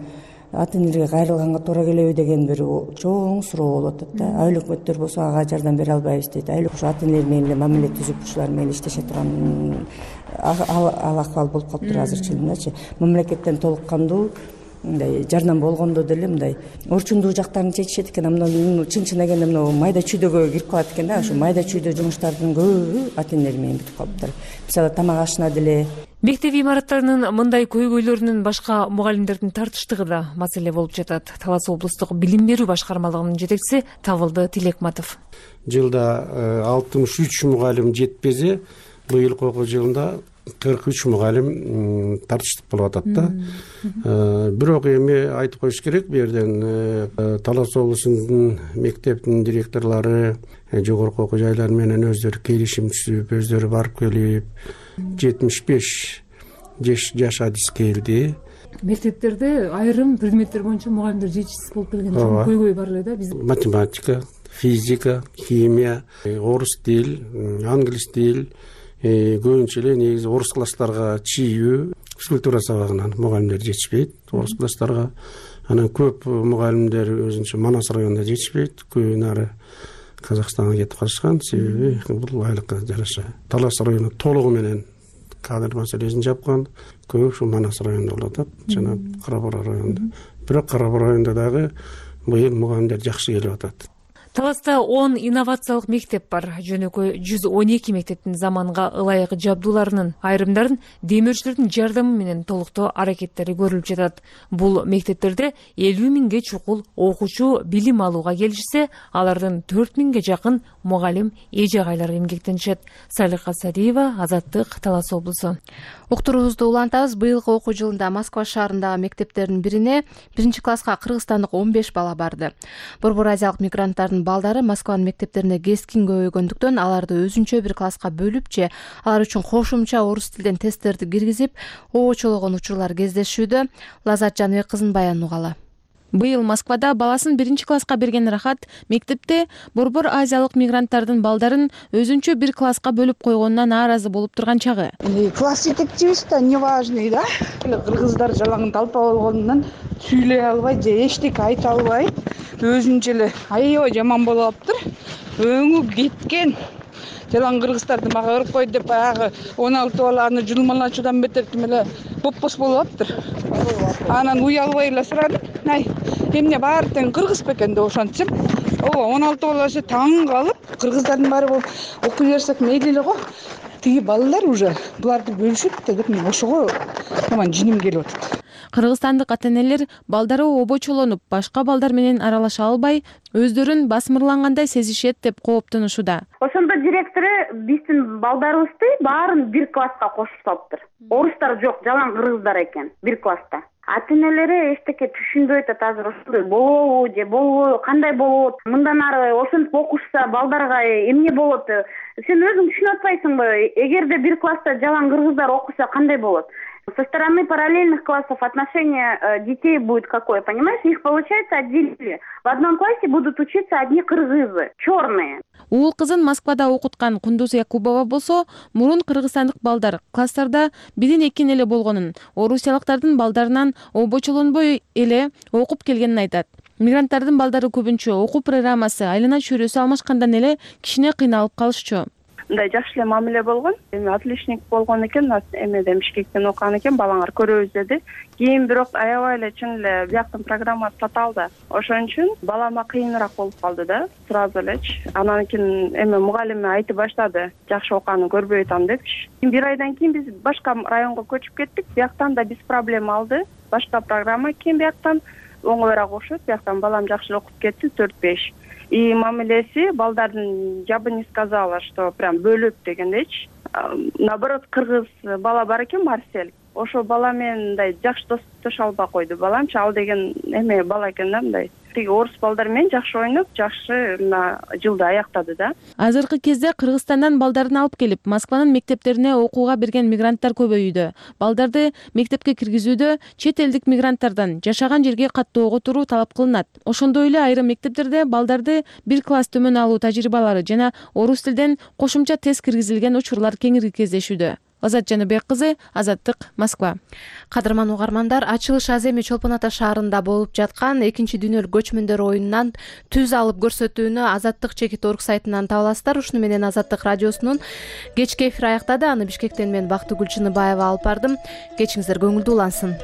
ата энелерге кайрылганга туура келеби деген бир чоң суроо болуп атат да. Айыл өкмөттөр болсо ага жардам бере албайбыз дейт. Айыл ата энелер менен эле мамиле түзүп ушулар менен иштеше турган ал акыбал болуп калыптыр азырчы элемчи. Мамлекеттен толук кандуу мындай жардам болгондо деле мындай орчундуу жактарын чечишет экен. Мына чын агенде мына майда чүйдөгө кирип калат экен да. Ошо майда чүйдө жумуштардын көбү ата энелер менен бүтүп калыптыр. Мисалы тамак ашына деле. Мектеп имараттарынын мындай көйгөйлөрүнүн башка мугалимдердин тартыштыгы да маселе болуп жатат. Талас облустук билим берүү башкармалыгынын жетекчиси Табылды Тилекматов. Жылда 63 мугалим жетпеси, быйылкы окуу жылында 43 мугалим тартыштык болуп атат да. Бирок эми айтып коюш керек, бу жерден Талас облусунун мектептин директорлору жогорку окуу жайлар менен өздөрү келишим түзүп, өздөрү барып келип 75 жаш адис келди. Мектептерде айрым предметтер боюнча мугалимдер жетишсиз болуп келген көйгөй бар эле да. Математика, физика, химия, орус тил, англис тил, көбүнчө эле негизи орус класстарга чийүү, физкультура сабагынан мугалимдер жетишпейт орус класстарга. Анан көп мугалимдер өзүнчө Манас районунда жетишпейт, көбү нары Казакстанга кетип калышкан. Себеби бул айлыкка жараша. Талас району толугу менен кадр маселесин жапкан. Көп ушу Манас районунда болуп атат, жана Кара-Бура районунда. Бирок Кара-Бура районунда дагы быйыл мугалимдер жакшы келип атат. Таласта 10 инновациялык мектеп бар. Жөнөкөй 112 мектептин заманга ылайык жабдууларынын айрымдарын демөөрчүлөрдүн жардамы менен толуктоо аракеттери көрүлүп жатат. Бул мектептерде 50 миңге чукул окуучу билим алууга келишсе, алардын 4 миңге жакын мугалим эже-агайлар эмгектенишет. Салиха Садиева, Азаттык, Талас облусу. Уктуруубузду улантабыз. Быйылкы окуу жылында Москва шаарындагы мектептердин бирине 1-класска кыргызстандык 15 бала барды. Борбор азиялык мигранттардын балдары Москванын мектептерине кескин көбөйгөндүктөн аларды өзүнчө бир класска бөлүп же алар үчүн кошумча орус тилден тесттерди киргизип, обочологон учурлар кездешүүдө. Лазат Жаныбек кызынын баянын угалы. Быйыл Москвада баласын 1-класска берген Рахат мектепте борбор азиялык мигранттардын балдарын өзүнчө бир класска бөлүп койгонуна нааразы болуп турган чагы. Класс жетекчибиз да неважный да. Кыргыздар жалаң талпа болгондон сүйлөй албай же эчтеке айта албай өзүнчө эле аябай жаман болуп алыптыр. Өңү кеткен. Жалаң кыргыздарды мага өрүп койду деп баягы 16 баланы жулмалачуудан бетер тим эле бопбос болуп аптыр. Анан уялбай эле сурадым. Ай, эмне баары тең кыргыз бекен деп ошентсем, 16 баласы таң калып, кыргыздардын баары болуп окуй берсек мейли эле го. Тиги балалар уже буларды бөлүшөт деп мен ошого таман жиним келип атат. Кыргызстандык ата-энелер балдары обочолонуп, башка балдар менен аралаша албай, өздөрүн басмырлангандай сезишет деп кооптонушууда. Ошондо директору биздин балдарыбызды баарын бир класска кошуп салыптыр. Орустар жок, жалаң кыргыздар экен бир класста. Ата-энелери эчтеке түшүнбөй атат азыр ошондой болобу же болбойбу, кандай болот? Мындан ары ошентип окушса балдарга эмне болот? Сен өзүң түшүнүп атпайсыңбы? Эгерде бир класста жалаң кыргыздар окуса кандай болот? Со стороны параллельных классов отношение детей будет какое, понимаешь? Их, получается, отделили. В одном классе будут учиться одни кыргызы, черные. Уул кызын Москвада окуткан Кундуз Якубова болсо, мурун кыргызстандык балдар класстарда 1-2 эле болгонун, орусиялыктардын балдарынан обочолонбой эле окуп келгенин айтат. Мигранттардын балдары көбүнчө окуу программасы айлана чөйрөсү алмашкандан эле кичине кыйналып калышчу. мындай жакшы эле мамиле болгон. Эми отличник болгон экен, эмеден Бишкектен окуган экен, балаңар көрөбүз деди. Кийин бирок аябай эле чын эле бияктын программасы татаалды. Ошон үчүн балама кыйыныраак болуп калды да, сразу элечи. Анан кийин эми мугалими айтып баштады, жакшы окуганын көрбөй атам депчи. Бир айдан кийин биз башка районго көчүп кеттик. Бияктан да биз проблема алды. Башка программа кийин бияктан оңоюраак окшойт. Бияктан балам жакшы окуп кетти, 4-5. И мамилеси балдардын, я бы не сказала, что прям бөлөп дегендейчи. Наоборот, кыргыз бала бар экен, Марсель. Ошо бала менен мындай жакшы достоша албай койду. Баламчы ал деген эме бала экен да мындай. Тиги орус балдар менен жакшы ойноп, жакшы мына жылды аяктады да. Азыркы кезде Кыргызстандан балдарын алып келип, Москванын мектептерине окууга берген мигранттар көбөйүүдө. Балдарды мектепке киргизүүдө чет элдик мигранттардан жашаган жерге каттоого туруу талап кылынат. Ошондой эле айрым мектептерде балдарды бир класс төмөн алуу тажрыйбалары жана орус тилден кошумча тест киргизилген учурлар кеңири кездешүүдө. Азат Жаныбек кызы, Азаттык, Москва. Кадырман угармандар, ачылыш аз эми Чолпон Ата шаарында болуп жаткан экинчи дүйнөлүк көчмөндөр оюнунан түз алып көрсөтүүнү Азаттык.org сайтынан таба аласыздар. Ушуну менен Азаттык радиосунун кечки эфири аяктады. Аны Бишкектен мен Бактыгүл Чыныбаева алып бардым. Кечиңиздер көңүлдүү улансын.